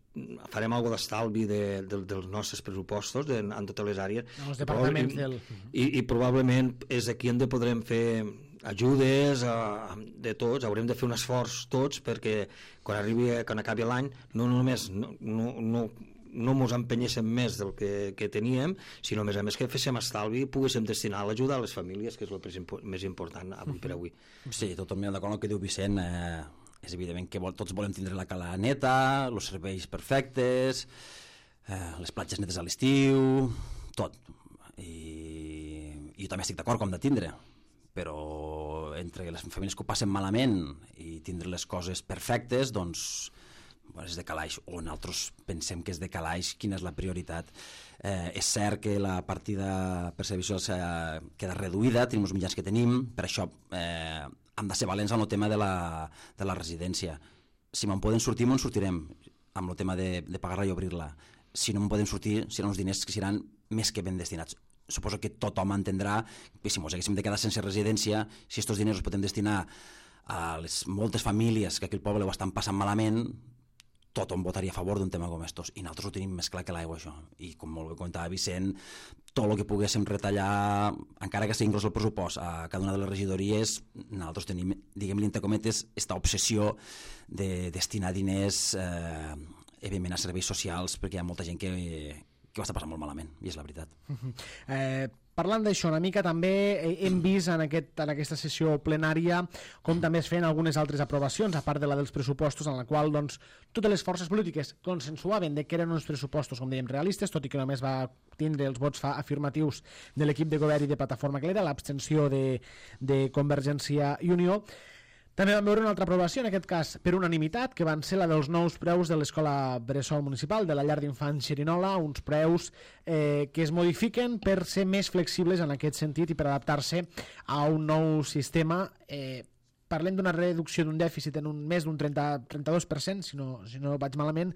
farem alguna d'estalvi de, de, dels nostres pressupostos de, en totes les àrees. Els departaments del... I, i probablement és aquí on podrem fer ajudes a, de tots, haurem de fer un esforç tots perquè quan arribi, quan acabi l'any no només no, no, no no ens empenyéssim més del que, que teníem, sinó a més a més que féssim estalvi i poguéssim destinar l'ajuda a les famílies, que és el més important avui per avui. Sí, totalment d'acord amb el que diu Vicent. Eh, és evident que vol, tots volem tindre la cala neta, els serveis perfectes, eh, les platges netes a l'estiu, tot. I, i jo també estic d'acord com de tindre, però entre les famílies que ho passen malament i tindre les coses perfectes, doncs és de calaix, o nosaltres pensem que és de calaix, quina és la prioritat. Eh, és cert que la partida per servici social queda reduïda, tenim els mitjans que tenim, per això eh, hem de ser valents en el tema de la, de la residència. Si me'n poden sortir, me'n sortirem amb el tema de, de pagar-la i obrir-la. Si no me'n poden sortir, seran uns diners que seran més que ben destinats. Suposo que tothom entendrà que si ens haguéssim de quedar sense residència, si aquests diners els podem destinar a les moltes famílies que aquí al poble ho estan passant malament, tothom votaria a favor d'un tema com estos, i nosaltres ho tenim més clar que l'aigua, això. I com molt bé comentava Vicent, tot el que poguéssim retallar, encara que sigui inclòs el pressupost, a cada una de les regidories, nosaltres tenim, diguem-li entre cometes, aquesta obsessió de destinar diners, eh, evidentment, a serveis socials, perquè hi ha molta gent que, que ho està passant molt malament, i és la veritat. Eh, parlant d'això una mica, també hem vist en, aquest, en aquesta sessió plenària com també es feien algunes altres aprovacions, a part de la dels pressupostos, en la qual doncs, totes les forces polítiques consensuaven de que eren uns pressupostos, com dèiem, realistes, tot i que només va tindre els vots afirmatius de l'equip de govern i de Plataforma Clara, l'abstenció de, de Convergència i Unió. També vam veure una altra aprovació, en aquest cas per unanimitat, que van ser la dels nous preus de l'Escola Bressol Municipal, de la llar d'infants Xerinola, uns preus eh, que es modifiquen per ser més flexibles en aquest sentit i per adaptar-se a un nou sistema. Eh, parlem d'una reducció d'un dèficit en un més d'un trenta, trenta-dos per cent, si no, si no vaig malament,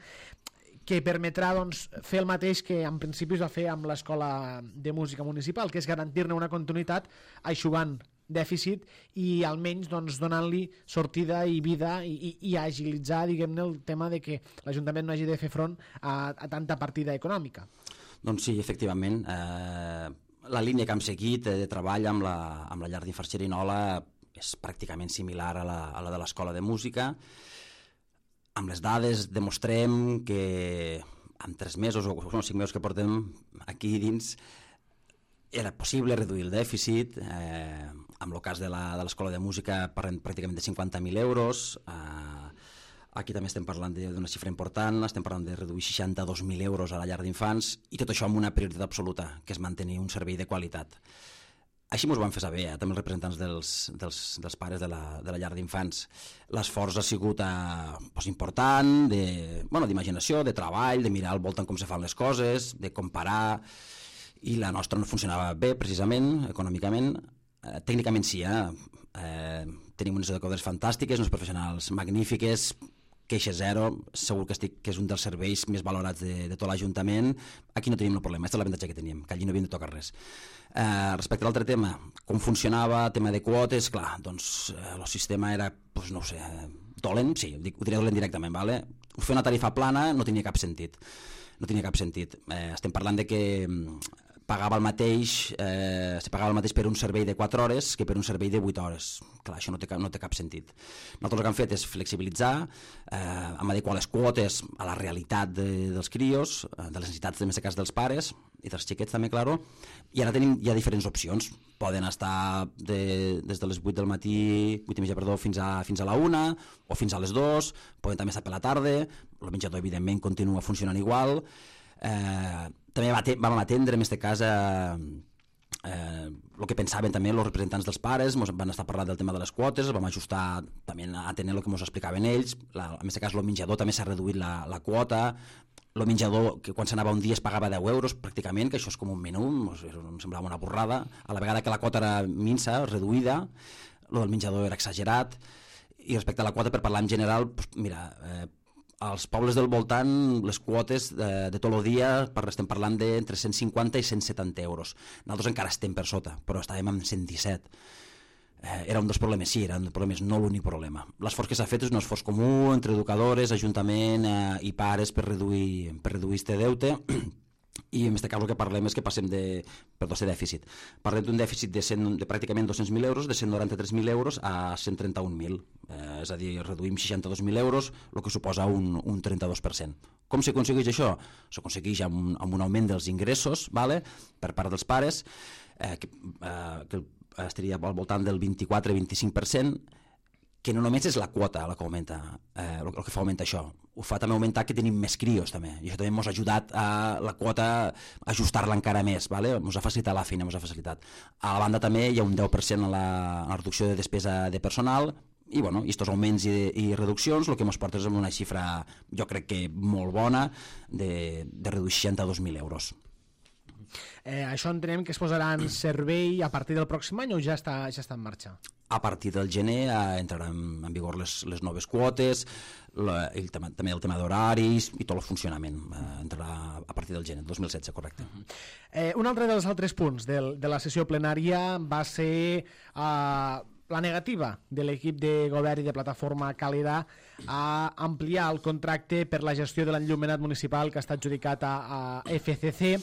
que permetrà doncs, fer el mateix que en principi es va fer amb l'Escola de Música Municipal, que és garantir-ne una continuïtat aixugant dèficit i almenys doncs, donant-li sortida i vida i, i, i agilitzar, diguem-ne, el tema de que l'Ajuntament no hagi de fer front a, a tanta partida econòmica. Doncs sí, efectivament. Eh, la línia que hem seguit de treball amb la, amb la llar d'infants Xerinola és pràcticament similar a la, a la de l'Escola de Música. Amb les dades demostrem que en tres mesos o no, cinc mesos que portem aquí dins era possible reduir el dèficit, eh, en el cas de l'Escola de, de Música parlem pràcticament de cinquanta mil euros, eh, aquí també estem parlant d'una xifra important, estem parlant de reduir seixanta-dos mil euros a la llar d'infants i tot això amb una prioritat absoluta, que és mantenir un servei de qualitat. Així ens ho van fer saber, eh, també els representants dels, dels, dels pares de la, de la llar d'infants. L'esforç ha sigut eh, pues, important, de, bueno, d'imaginació, de treball, de mirar al voltant com se fan les coses, de comparar, i la nostra no funcionava bé, precisament, econòmicament. Eh, tècnicament sí, eh? Eh, tenim unes educadores fantàstiques, uns professionals magnífiques, queixa zero, segur que, estic, que és un dels serveis més valorats de, de tot l'Ajuntament. Aquí no tenim el problema, aquesta és l'avantatge que teníem, que allí no havíem de tocar res. Eh, respecte a l'altre tema, com funcionava, tema de quotes, clar, doncs eh, el sistema era, doncs, no ho sé, dolent, sí, ho diré dolent directament, vale? Fer una tarifa plana no tenia cap sentit, no tenia cap sentit. Eh, estem parlant de que pagava el mateix, eh, se pagava el mateix per un servei de quatre hores que per un servei de vuit hores. Clar, això no té cap, no té cap sentit. Nosaltres el que hem fet és flexibilitzar, eh, hem adequat les quotes a la realitat de, dels crios, de les necessitats, en aquest cas, dels pares i dels xiquets també, claro, i ara tenim ja diferents opcions. Poden estar de, des de les vuit del matí, vuit i mitja, perdó, fins a, fins a la una o fins a les dues, poden també estar per la tarda, el menjador, evidentment, continua funcionant igual. Eh, també vam atendre en aquest cas eh, eh, el que pensaven també els representants dels pares, ens van estar parlant del tema de les quotes, vam ajustar també a tenir el que ens explicaven ells. La, en aquest cas el menjador també s'ha reduït la, la quota, el menjador que quan s'anava un dia es pagava deu euros pràcticament, que això és com un menú, em semblava una borrada, a la vegada que la quota era minsa, reduïda, el del menjador era exagerat, i respecte a la quota, per parlar en general, doncs, mira, eh, als pobles del voltant les quotes de, de tot el dia per, estem parlant d'entre cent cinquanta i cent setanta euros. Nosaltres encara estem per sota, però estàvem amb cent disset. Eh, era un dels problemes, sí, era un dels problemes, no l'únic problema. L'esforç que s'ha fet és un esforç comú entre educadores, ajuntament eh, i pares per reduir, per reduir este deute. I en aquest cas el que parlem és que passem de, perdó, de dèficit. Parlem d'un dèficit de, cent, de pràcticament dos-cents mil euros, de cent noranta-tres mil euros a cent trenta-un mil. Eh, és a dir, reduïm seixanta-dos mil euros, el que suposa un, un trenta-dos per cent. Com s'aconsegueix això? S'aconsegueix amb, amb un augment dels ingressos, vale? Per part dels pares, eh, que, eh, que estaria al voltant del vint-i-quatre a vint-i-cinc per cent, que no només és la quota la que augmenta, eh, el que fa augmentar això, ho fa també augmentar que tenim més crios també, i això també ens ha ajudat a la quota a ajustar-la encara més, vale? Ens ha facilitat la feina, ens ha facilitat. A la banda també hi ha un deu per cent a la, a la reducció de despesa de personal, i bueno, aquests augments i, i reduccions el que ens porta és una xifra, jo crec que molt bona, de, de reduir seixanta-dos mil euros. Eh, això entenem que es posarà en servei a partir del pròxim any o ja està, ja està en marxa? A partir del gener eh, entraran en vigor les, les noves quotes, la, el tema, també el tema d'horaris i tot el funcionament. Eh, entrarà a partir del gener, dos mil setze, correcte. Uh-huh. eh, un altre dels altres punts del, de la sessió plenària va ser eh, la negativa de l'equip de govern i de plataforma Càlida a ampliar el contracte per la gestió de l'enllumenat municipal que està adjudicat a, a F C C.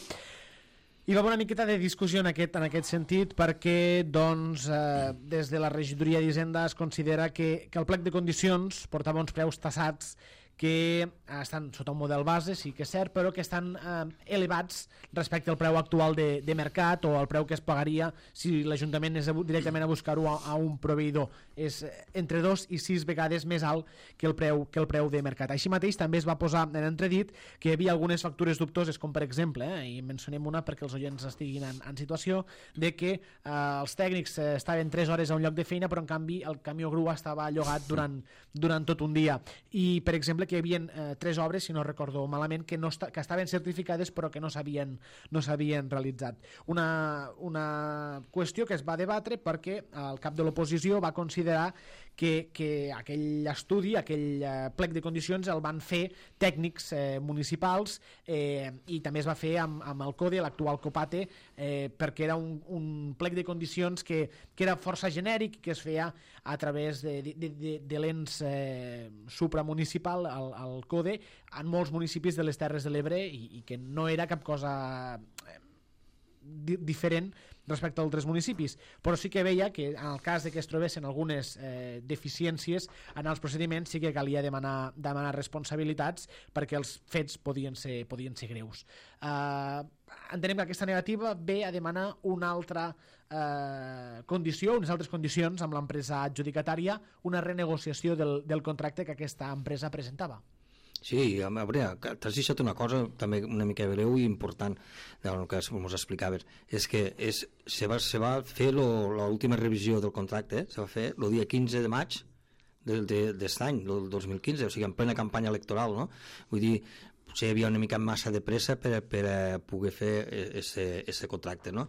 Hi va haver una miqueta de discussió en aquest, en aquest sentit perquè doncs, eh, des de la regidoria d'Hisenda es considera que, que el plec de condicions portava uns preus tassats que estan sota un model base, sí que és cert, però que estan eh, elevats respecte al preu actual de, de mercat o al preu que es pagaria si l'Ajuntament és directament a buscar-ho a, a un proveïdor. És entre dos i sis vegades més alt que el preu, que el preu de mercat. Així mateix també es va posar en entredit que hi havia algunes factures dubtoses, com per exemple, eh, i mencionem una perquè els oients estiguin en, en situació, de que eh, els tècnics eh, estaven tres hores a un lloc de feina, però en canvi el camió grua estava llogat durant, durant tot un dia. I, per exemple, que hi havia eh, tres obres, si no recordo malament, que, no esta, que estaven certificades però que no s'havien no s'havien realitzat. Una, una qüestió que es va debatre perquè el cap de l'oposició va considerar que, que aquell estudi, aquell eh, plec de condicions el van fer tècnics eh, municipals eh, i també es va fer amb, amb el CODE, l'actual COPATE, eh, perquè era un, un plec de condicions que, que era força genèric, que es feia a través de, de, de, de l'ens eh, supramunicipal, el, el CODE, en molts municipis de les Terres de l'Ebre i, i que no era cap cosa di diferent respecte als altres municipis, però sí que veia que en el cas de que es trobessin algunes eh, deficiències en els procediments sí que calia demanar, demanar responsabilitats perquè els fets podien ser, podien ser greus. Eh, entenem que aquesta negativa ve a demanar una altra eh, condició, unes altres condicions amb l'empresa adjudicatària, una renegociació del, del contracte que aquesta empresa presentava. Sí, a veure, t'has deixat una cosa també una mica breu i important del que ens explicaves, és que és, se, va, se va fer l'última revisió del contracte, eh? Se va fer el dia quinze de maig d'aquest any, del dos mil quinze, o sigui, en plena campanya electoral, no? Vull dir, potser hi havia una mica massa de pressa per, per a poder fer aquest contracte, no?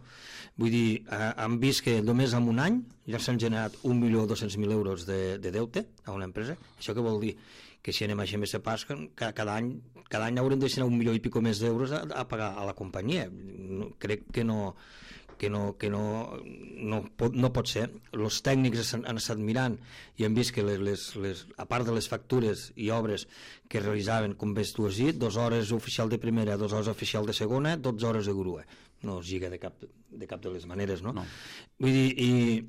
Vull dir, han vist que només en un any ja s'han generat un milió dos-cents mil euros de, de deute a una empresa. Això què vol dir? Que si anem a G M S Pas, cada any, cada any haurem de destinar un milió i pico més d'euros a, a pagar a la companyia. No, crec que no que no, que no, no, pot, no pot ser. Els tècnics han, han estat mirant i han vist que les, les, les, a part de les factures i obres que realitzaven, com ves tu has dit, dues hores oficial de primera, dues hores oficial de segona, dotze hores de grua. No es lliga de cap de, cap de les maneres, no? no. Vull dir, i,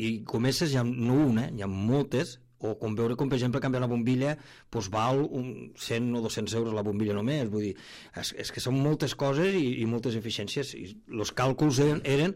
i comences, hi ha, no una, hi ha moltes, o com veure com per exemple canviar una bombilla doncs val un cent o dos-cents euros la bombilla només, vull dir, és, és que són moltes coses i, i moltes eficiències, i els càlculs eren, eren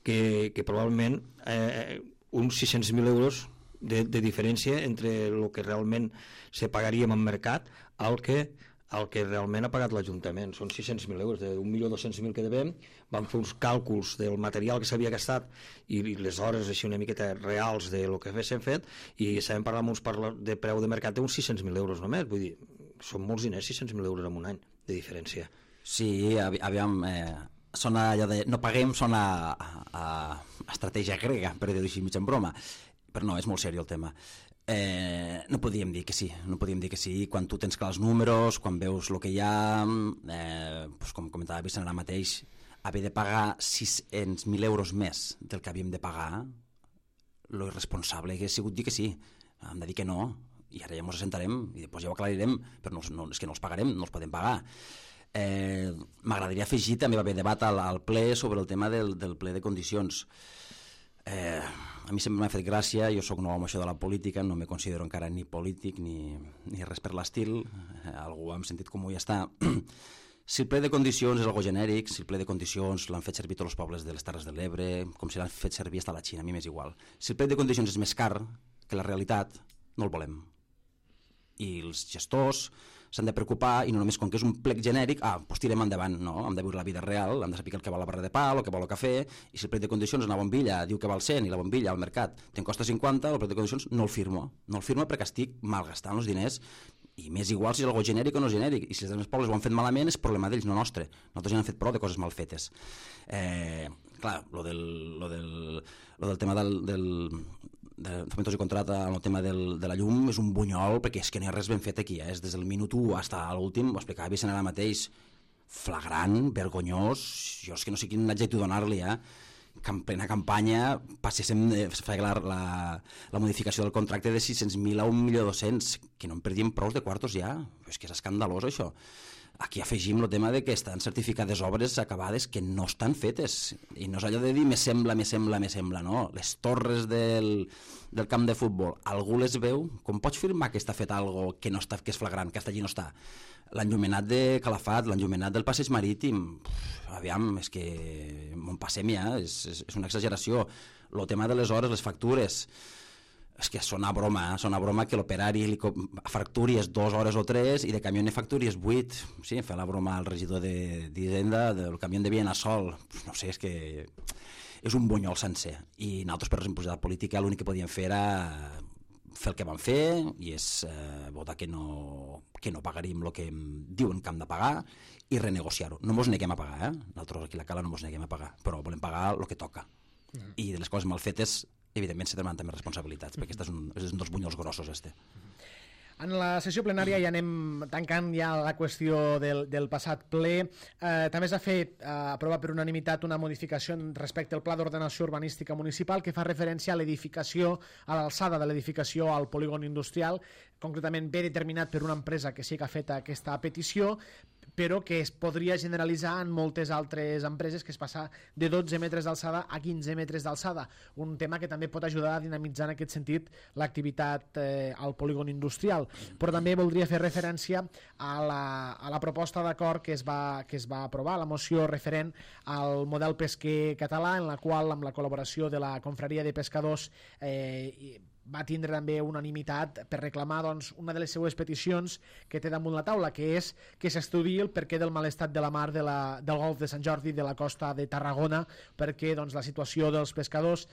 que, que probablement eh, uns sis-cents mil euros de, de diferència entre el que realment se pagaria en mercat al que el que realment ha pagat l'Ajuntament. Són sis-cents mil euros, d'un milió dos-cents mil que devem, vam fer uns càlculs del material que s'havia gastat i, i les hores així una miqueta reals de lo que haguéssim fet i sabem parlar amb uns parla, de preu de mercat d'uns sis-cents mil euros només, vull dir, són molts diners, sis-cents mil euros en un any de diferència. Sí, aviam, eh, sona allò de no paguem, sona a, a, a estratègia grega, per dir-ho així mig en broma, però no, és molt seriós el tema. Eh, no podíem dir que sí, no podíem dir que sí quan tu tens clars els números, quan veus el que hi ha, eh, doncs com comentava Vicent ara mateix, haver de pagar sis-cents mil euros més del que havíem de pagar, lo irresponsable que ha sigut dir que sí, hem de dir que no, i ara ja ens assentarem i després ja ho aclarirem, però no, no, és que no els pagarem, no els podem pagar. Eh, m'agradaria afegir, també va haver debat al, al ple sobre el tema del, del ple de condicions. Eh, a mi sempre m'ha fet gràcia, jo sóc nou amb això de la política, no me considero encara ni polític ni, ni res per l'estil, eh, algú amb sentit comú ja està. Si el ple de condicions és algo genèric, si el ple de condicions l'han fet servir tots els pobles de les Terres de l'Ebre, com si l'han fet servir hasta la Xina, a mi m'és igual. Si el ple de condicions és més car que la realitat, no el volem. I els gestors s'han de preocupar, i no només com que és un plec genèric, ah, doncs tirem endavant, no, hem de viure la vida real, hem de saber el que val la barra de pa, el que val el cafè, i si el plec de condicions una bombilla diu que val cent i la bombilla al mercat te'n costa cinquanta, el plec de condicions no el firmo, no el firmo perquè estic malgastant els diners, i m'és igual si és algo genèric o no genèric, i si els altres pobles ho han fet malament és problema d'ells, no nostre, nosaltres ja hem fet prou de coses mal fetes. Eh, clar, lo del, lo del, lo del tema del, del de fomentos i contrata en el tema del, de la llum és un bunyol perquè és que no hi ha res ben fet aquí, eh? És des del minut u fins a l'últim, ho explicava Vicent ara mateix, flagrant, vergonyós, jo és que no sé quin adjectiu donar-li, eh? Que en plena campanya passéssim de fer la, la, la modificació del contracte de sis-cents mil a un milió dos-cents, que no en perdíem prou de quartos ja, és que és escandalós això. Aquí afegim el tema de que estan certificades obres acabades que no estan fetes, i no és allò de dir me sembla, me sembla, me sembla, no. Les torres del, del camp de futbol, algú les veu? Com pots firmar que està fet algo que no està, que és flagrant, que hasta allí no està? L'enllumenat de Calafat, l'enllumenat del passeig marítim, uf, aviam, és que m'on passem ja, és, és, és una exageració. El tema de les hores, les factures, és que sona broma, eh? Sona broma que l'operari li facturies dues hores o tres i de camió ne facturies vuit. Sí, fa la broma al regidor d'Hisenda del camió de Bienasol. No sé, és que és un bunyol sencer. I nosaltres, per responsabilitat política, l'únic que podíem fer era fer el que vam fer, i és eh, votar que no, que no pagaríem el que diuen que hem de pagar i renegociar-ho. No mos neguem a pagar, eh? Nosaltres aquí a la Cala no mos neguem a pagar, però volem pagar el que toca. Mm. I de les coses mal fetes, evidentment se demanen també responsabilitats, perquè aquest és un, és un dels bunyols grossos, este. En la sessió plenària ja anem tancant ja la qüestió del, del passat ple. Eh, també s'ha fet eh, aprovar per unanimitat una modificació respecte al Pla d'Ordenació Urbanística Municipal que fa referència a l'edificació, a l'alçada de l'edificació al polígon industrial, concretament bé determinat per una empresa que sí que ha fet aquesta petició, però que es podria generalitzar en moltes altres empreses, que es passa de dotze metres d'alçada a quinze metres d'alçada, un tema que també pot ajudar a dinamitzar en aquest sentit l'activitat eh, al polígon industrial. Però també voldria fer referència a la, a la proposta d'acord que, es va, que es va aprovar, la moció referent al model pesquer català, en la qual, amb la col·laboració de la Confraria de Pescadors, eh, va tindre també unanimitat per reclamar doncs, una de les seues peticions que té damunt la taula, que és que s'estudiï el perquè del mal estat de la mar de la, del golf de Sant Jordi, de la costa de Tarragona, perquè doncs, la situació dels pescadors,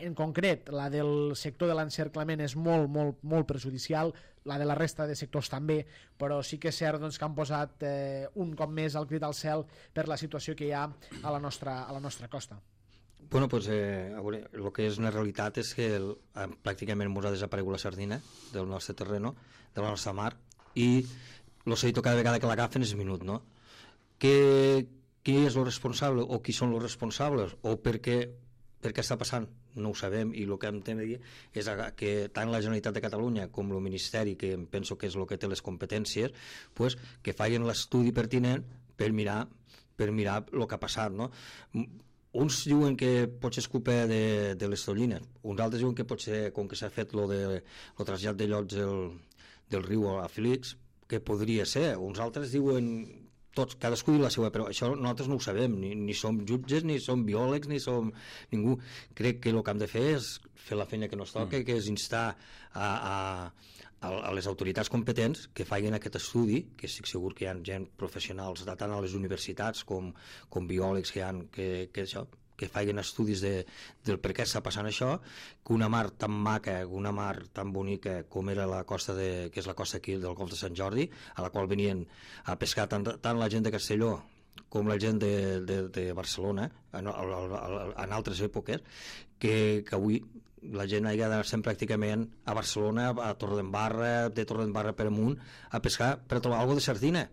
en concret la del sector de l'encerclament, és molt, molt, molt perjudicial, la de la resta de sectors també, però sí que és cert doncs, que han posat eh, un cop més el crit al cel per la situació que hi ha a la nostra, a la nostra costa. Bueno, pues, eh, veure, el que és una realitat és que el, eh, pràcticament ens ha desaparegut la sardina del nostre terreno, de la nostra mar, i l'oceïto cada vegada que l'agafen és minut, no? Què, qui és el responsable, o qui són els responsables, o per què, per què està passant? No ho sabem, i el que hem de dir és que tant la Generalitat de Catalunya com el Ministeri, que em penso que és el que té les competències, pues, que facin l'estudi pertinent per mirar, per mirar el que ha passat, no? Uns diuen que potser és culpa de, de les tonyines, uns altres diuen que potser, com que s'ha fet lo de, el trasllat de llocs del, del riu a Félix, que podria ser, uns altres diuen, tots, cadascú diu la seva, però això nosaltres no ho sabem, ni, ni som jutges, ni som biòlegs, ni som ningú. Crec que el que hem de fer és fer la feina que nos toca, mm. que és instar a, a, a les autoritats competents que facin aquest estudi, que estic segur que hi ha gent professionals tant a les universitats com, com biòlegs que, han, que, que, això, que facin estudis de, del per què està passant això, que una mar tan maca, una mar tan bonica com era la costa de, que és la costa aquí del Golf de Sant Jordi, a la qual venien a pescar tant, tant la gent de Castelló com la gent de, de, de Barcelona en, en altres èpoques, que, que avui la gent ha d'anar sempre pràcticament a Barcelona, a Torredembarra, de Torredembarra per amunt, a pescar per trobar alguna de sardina.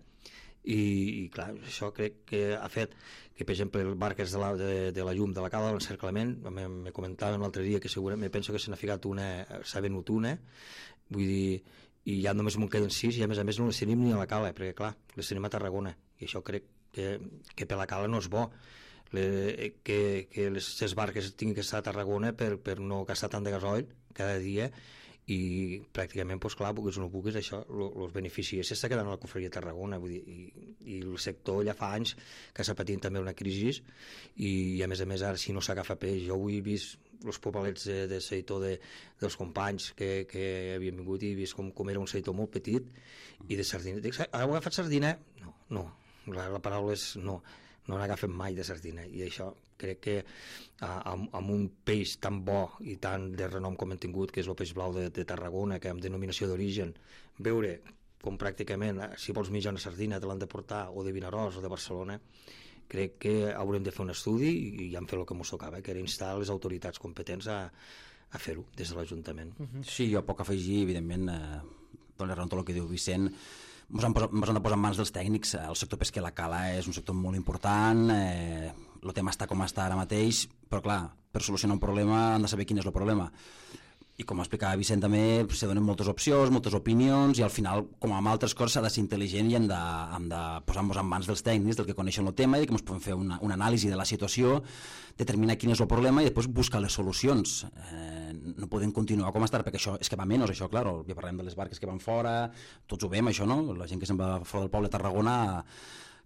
I, i clar, això crec que ha fet que, per exemple, el barques de la, de, de la llum de la cala de l'encerclament, me, me comentaven l'altre dia que segurament penso que se n'ha ficat una, s'ha venut una, vull dir, i ja només m'en queden sis, i a més a més no les tenim ni a la cala, perquè clar, les tenim a Tarragona, i això crec que, que per la cala no és bo. Le, que, que les, les barques tinguin que estar a Tarragona per, per no gastar tant de gasoil cada dia, i pràcticament, doncs clar, puguis o no puguis, això, els beneficis s'està quedant a la confraria de Tarragona, vull dir, i, i el sector ja fa anys que s'ha patit també una crisi, i, i a més a més ara si no s'agafa peix, jo avui he vist els pobalets de, de seitó de, dels companys que, que havien vingut, i he vist com, com era un seitó molt petit, i de sardina, dic, heu agafat sardina? No, no, la, la paraula és no, no n'agafen mai de sardina, i això crec que uh, amb, amb un peix tan bo i tan de renom com hem tingut, que és el peix blau de, de Tarragona, que amb denominació d'origen, veure com pràcticament, si vols mitja una sardina te l'han de portar, o de Vinaròs o de Barcelona, crec que haurem de fer un estudi, i ja hem fet el que ens tocava, que era instar les autoritats competents a, a fer-ho des de l'Ajuntament. Sí, jo poc afegir, evidentment, eh, donar raó tot el que diu Vicent. Ens han, posat, ens han de posar en mans dels tècnics. El sector pesquer a la cala és un sector molt important, eh, el tema està com està ara mateix, però clar, per solucionar un problema han de saber quin és el problema. I com explicava Vicent també, se donen moltes opcions, moltes opinions, i al final, com amb altres coses, s'ha de ser intel·ligent i hem de, hem de posar-nos en mans dels tècnics, del que coneixen el tema, i que ens podem fer una, una anàlisi de la situació, determinar quin és el problema i després buscar les solucions. Eh, no podem continuar com estar, perquè això és que va menys, això, clar, ja parlem de les barques que van fora, tots ho veiem, això, no? La gent que se'n va fora del poble de Tarragona,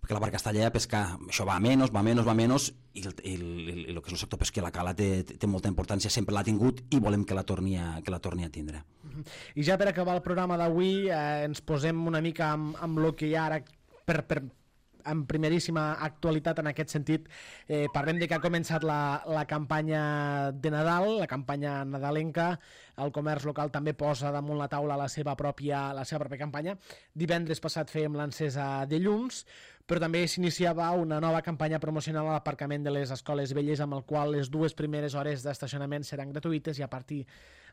perquè la barca està allà a pescar, això va a menys, va a menys, va a menys, i el, el, el, el que és el sector pesquer a la cala té, té molta importància, sempre l'ha tingut i volem que la torni a, que la torni a tindre. I ja per acabar el programa d'avui, eh, ens posem una mica amb, amb el que hi ha ara per, per, en primeríssima actualitat en aquest sentit. Eh, parlem de que ha començat la, la campanya de Nadal, la campanya nadalenca. El comerç local també posa damunt la taula la seva pròpia, la seva pròpia campanya. Divendres passat fèiem l'encesa de llums, però també s'iniciava una nova campanya promocional a l'aparcament de les escoles velles, amb el qual les dues primeres hores d'estacionament seran gratuïtes i a partir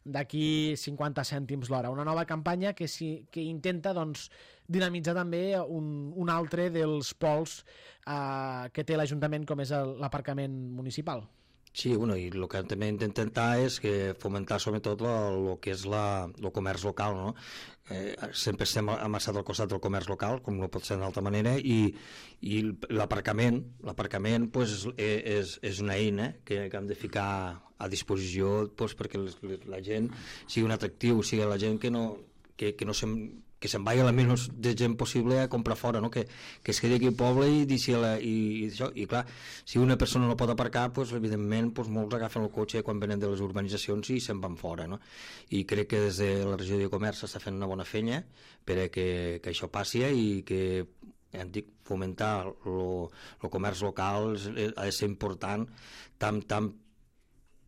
d'aquí cinquanta cèntims l'hora. Una nova campanya que, si, que intenta doncs, dinamitzar també un, un altre dels pols eh, que té l'Ajuntament, com és l'aparcament municipal. Sí, bueno, i el que també intentem és que fomentar sobretot el que és la, el comerç local, no? Eh, sempre estem amassat al costat del comerç local, com no pot ser d'altra manera, i, i l'aparcament, l'aparcament pues, és, és una eina que, que hem de ficar a disposició pues, perquè la gent sigui un atractiu, sigui la gent que no, que, que no se'n que se'n vagi la menys de gent possible a comprar fora, no? que, que es quedi aquí al poble i, i, i, i això, i clar, si una persona no pot aparcar, pues, evidentment pues, molts agafen el cotxe quan venen de les urbanitzacions i se'n van fora, no? I crec que des de la regió de comerç s'està fent una bona feina per a que, que això passi i que hem dit, fomentar el comerç local ha de ser important tant, tant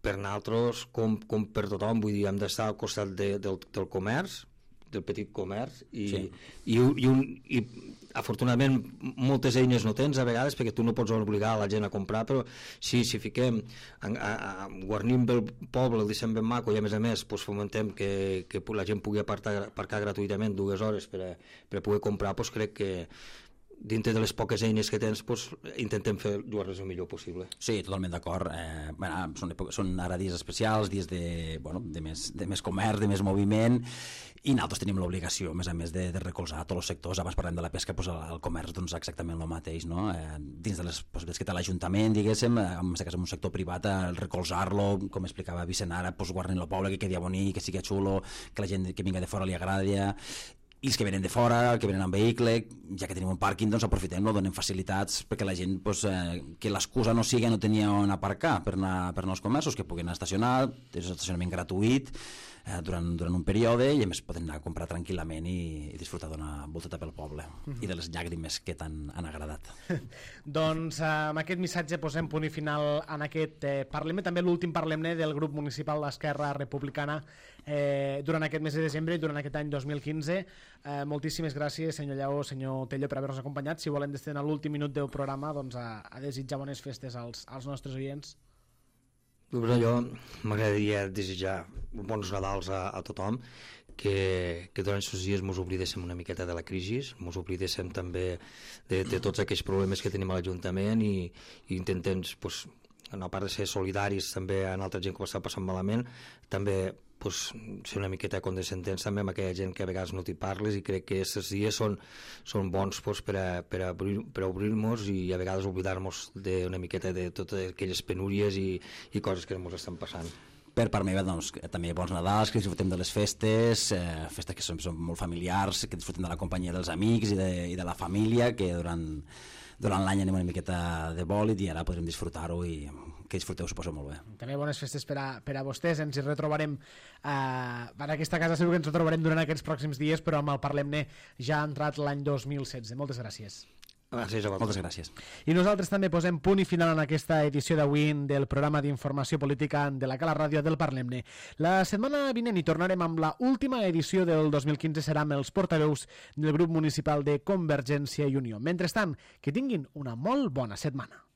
per nosaltres com, com per tothom, vull dir, hem d'estar al costat de, del, del comerç, del petit comerç i, sí. i, i, un, i afortunadament moltes eines no tens a vegades perquè tu no pots obligar la gent a comprar, però si, si fiquem a, a, a, guarnim el poble, el deixem ben maco i a més a més pues, fomentem que, que la gent pugui apartar, aparcar gratuïtament dues hores per a, per a poder comprar, pues, crec que dintre de les poques eines que tens pues, intentem fer dur-les el millor possible. Sí, totalment d'acord. Eh, bueno, són, són ara dies especials, dies de, bueno, de, més, de més comerç, de més moviment, i nosaltres tenim l'obligació, a més a més, de, de recolzar tots els sectors. Abans parlem de la pesca, doncs el, el comerç doncs, exactament el mateix, no? Eh, dins de les possibilitats que té l'Ajuntament, diguéssim, en aquest cas en un sector privat, el recolzar-lo, com explicava Vicent ara, doncs, guarnint el poble, que quedi bonic, que sigui xulo, que la gent que vinga de fora li agradi, i els que venen de fora, que venen en vehicle, ja que tenim un pàrquing, doncs aprofitem-lo, donem facilitats perquè la gent, doncs, eh, que l'excusa no sigui no tenir on aparcar per anar, per anar als comerços, que puguin estacionar, és un estacionament gratuït eh, durant, durant un període, i a més poden anar a comprar tranquil·lament i, i disfrutar d'una volteta pel poble mm-hmm. i de les llàgrimes que tant han agradat. Doncs eh, amb aquest missatge posem punt i final en aquest eh, Parlem-ne, també l'últim Parlem-ne del grup municipal d'Esquerra Republicana eh, durant aquest mes de desembre i durant aquest any dos mil quinze. Eh, moltíssimes gràcies, senyor Lleó, senyor Tello, per haver-nos acompanyat. Si volen destinar l'últim minut del programa doncs, a, a desitjar bones festes als, als nostres oients. Doncs jo m'agradaria desitjar bons Nadals a, a tothom, que, que durant aquests dies ens oblidéssim una miqueta de la crisi, ens oblidéssim també de, de tots aquells problemes que tenim a l'Ajuntament i, i intentem, pues, a part de ser solidaris també amb altra gent que ho està passant malament, també pues, ser una miqueta condescendents també amb aquella gent que a vegades no t'hi parles, i crec que aquests dies són, són bons pues, per a, per a obrir, per a obrir-nos i a vegades oblidar-nos una miqueta de totes aquelles penúries i, i coses que ens estan passant. Per part meva, doncs, també bons Nadals, que disfrutem de les festes, eh, festes que són, són molt familiars, que disfrutem de la companyia dels amics i de, i de la família, que durant, durant l'any anem una miqueta de bòlit i ara podrem disfrutar-ho i que disfruteu, suposo, molt bé. També bones festes per a, per a vostès. Ens hi retrobarem eh, en aquesta casa, segur que ens retrobarem durant aquests pròxims dies, però amb el Parlem-ne ja ha entrat l'any dos mil setze. Moltes gràcies. Gràcies a vosaltres. Moltes gràcies. I nosaltres també posem punt i final en aquesta edició d'avui del programa d'informació política de la Cala Ràdio del Parlem-ne. La setmana vinent hi tornarem amb la última edició del dos mil quinze, serà amb els portaveus del grup municipal de Convergència i Unió. Mentrestant, que tinguin una molt bona setmana.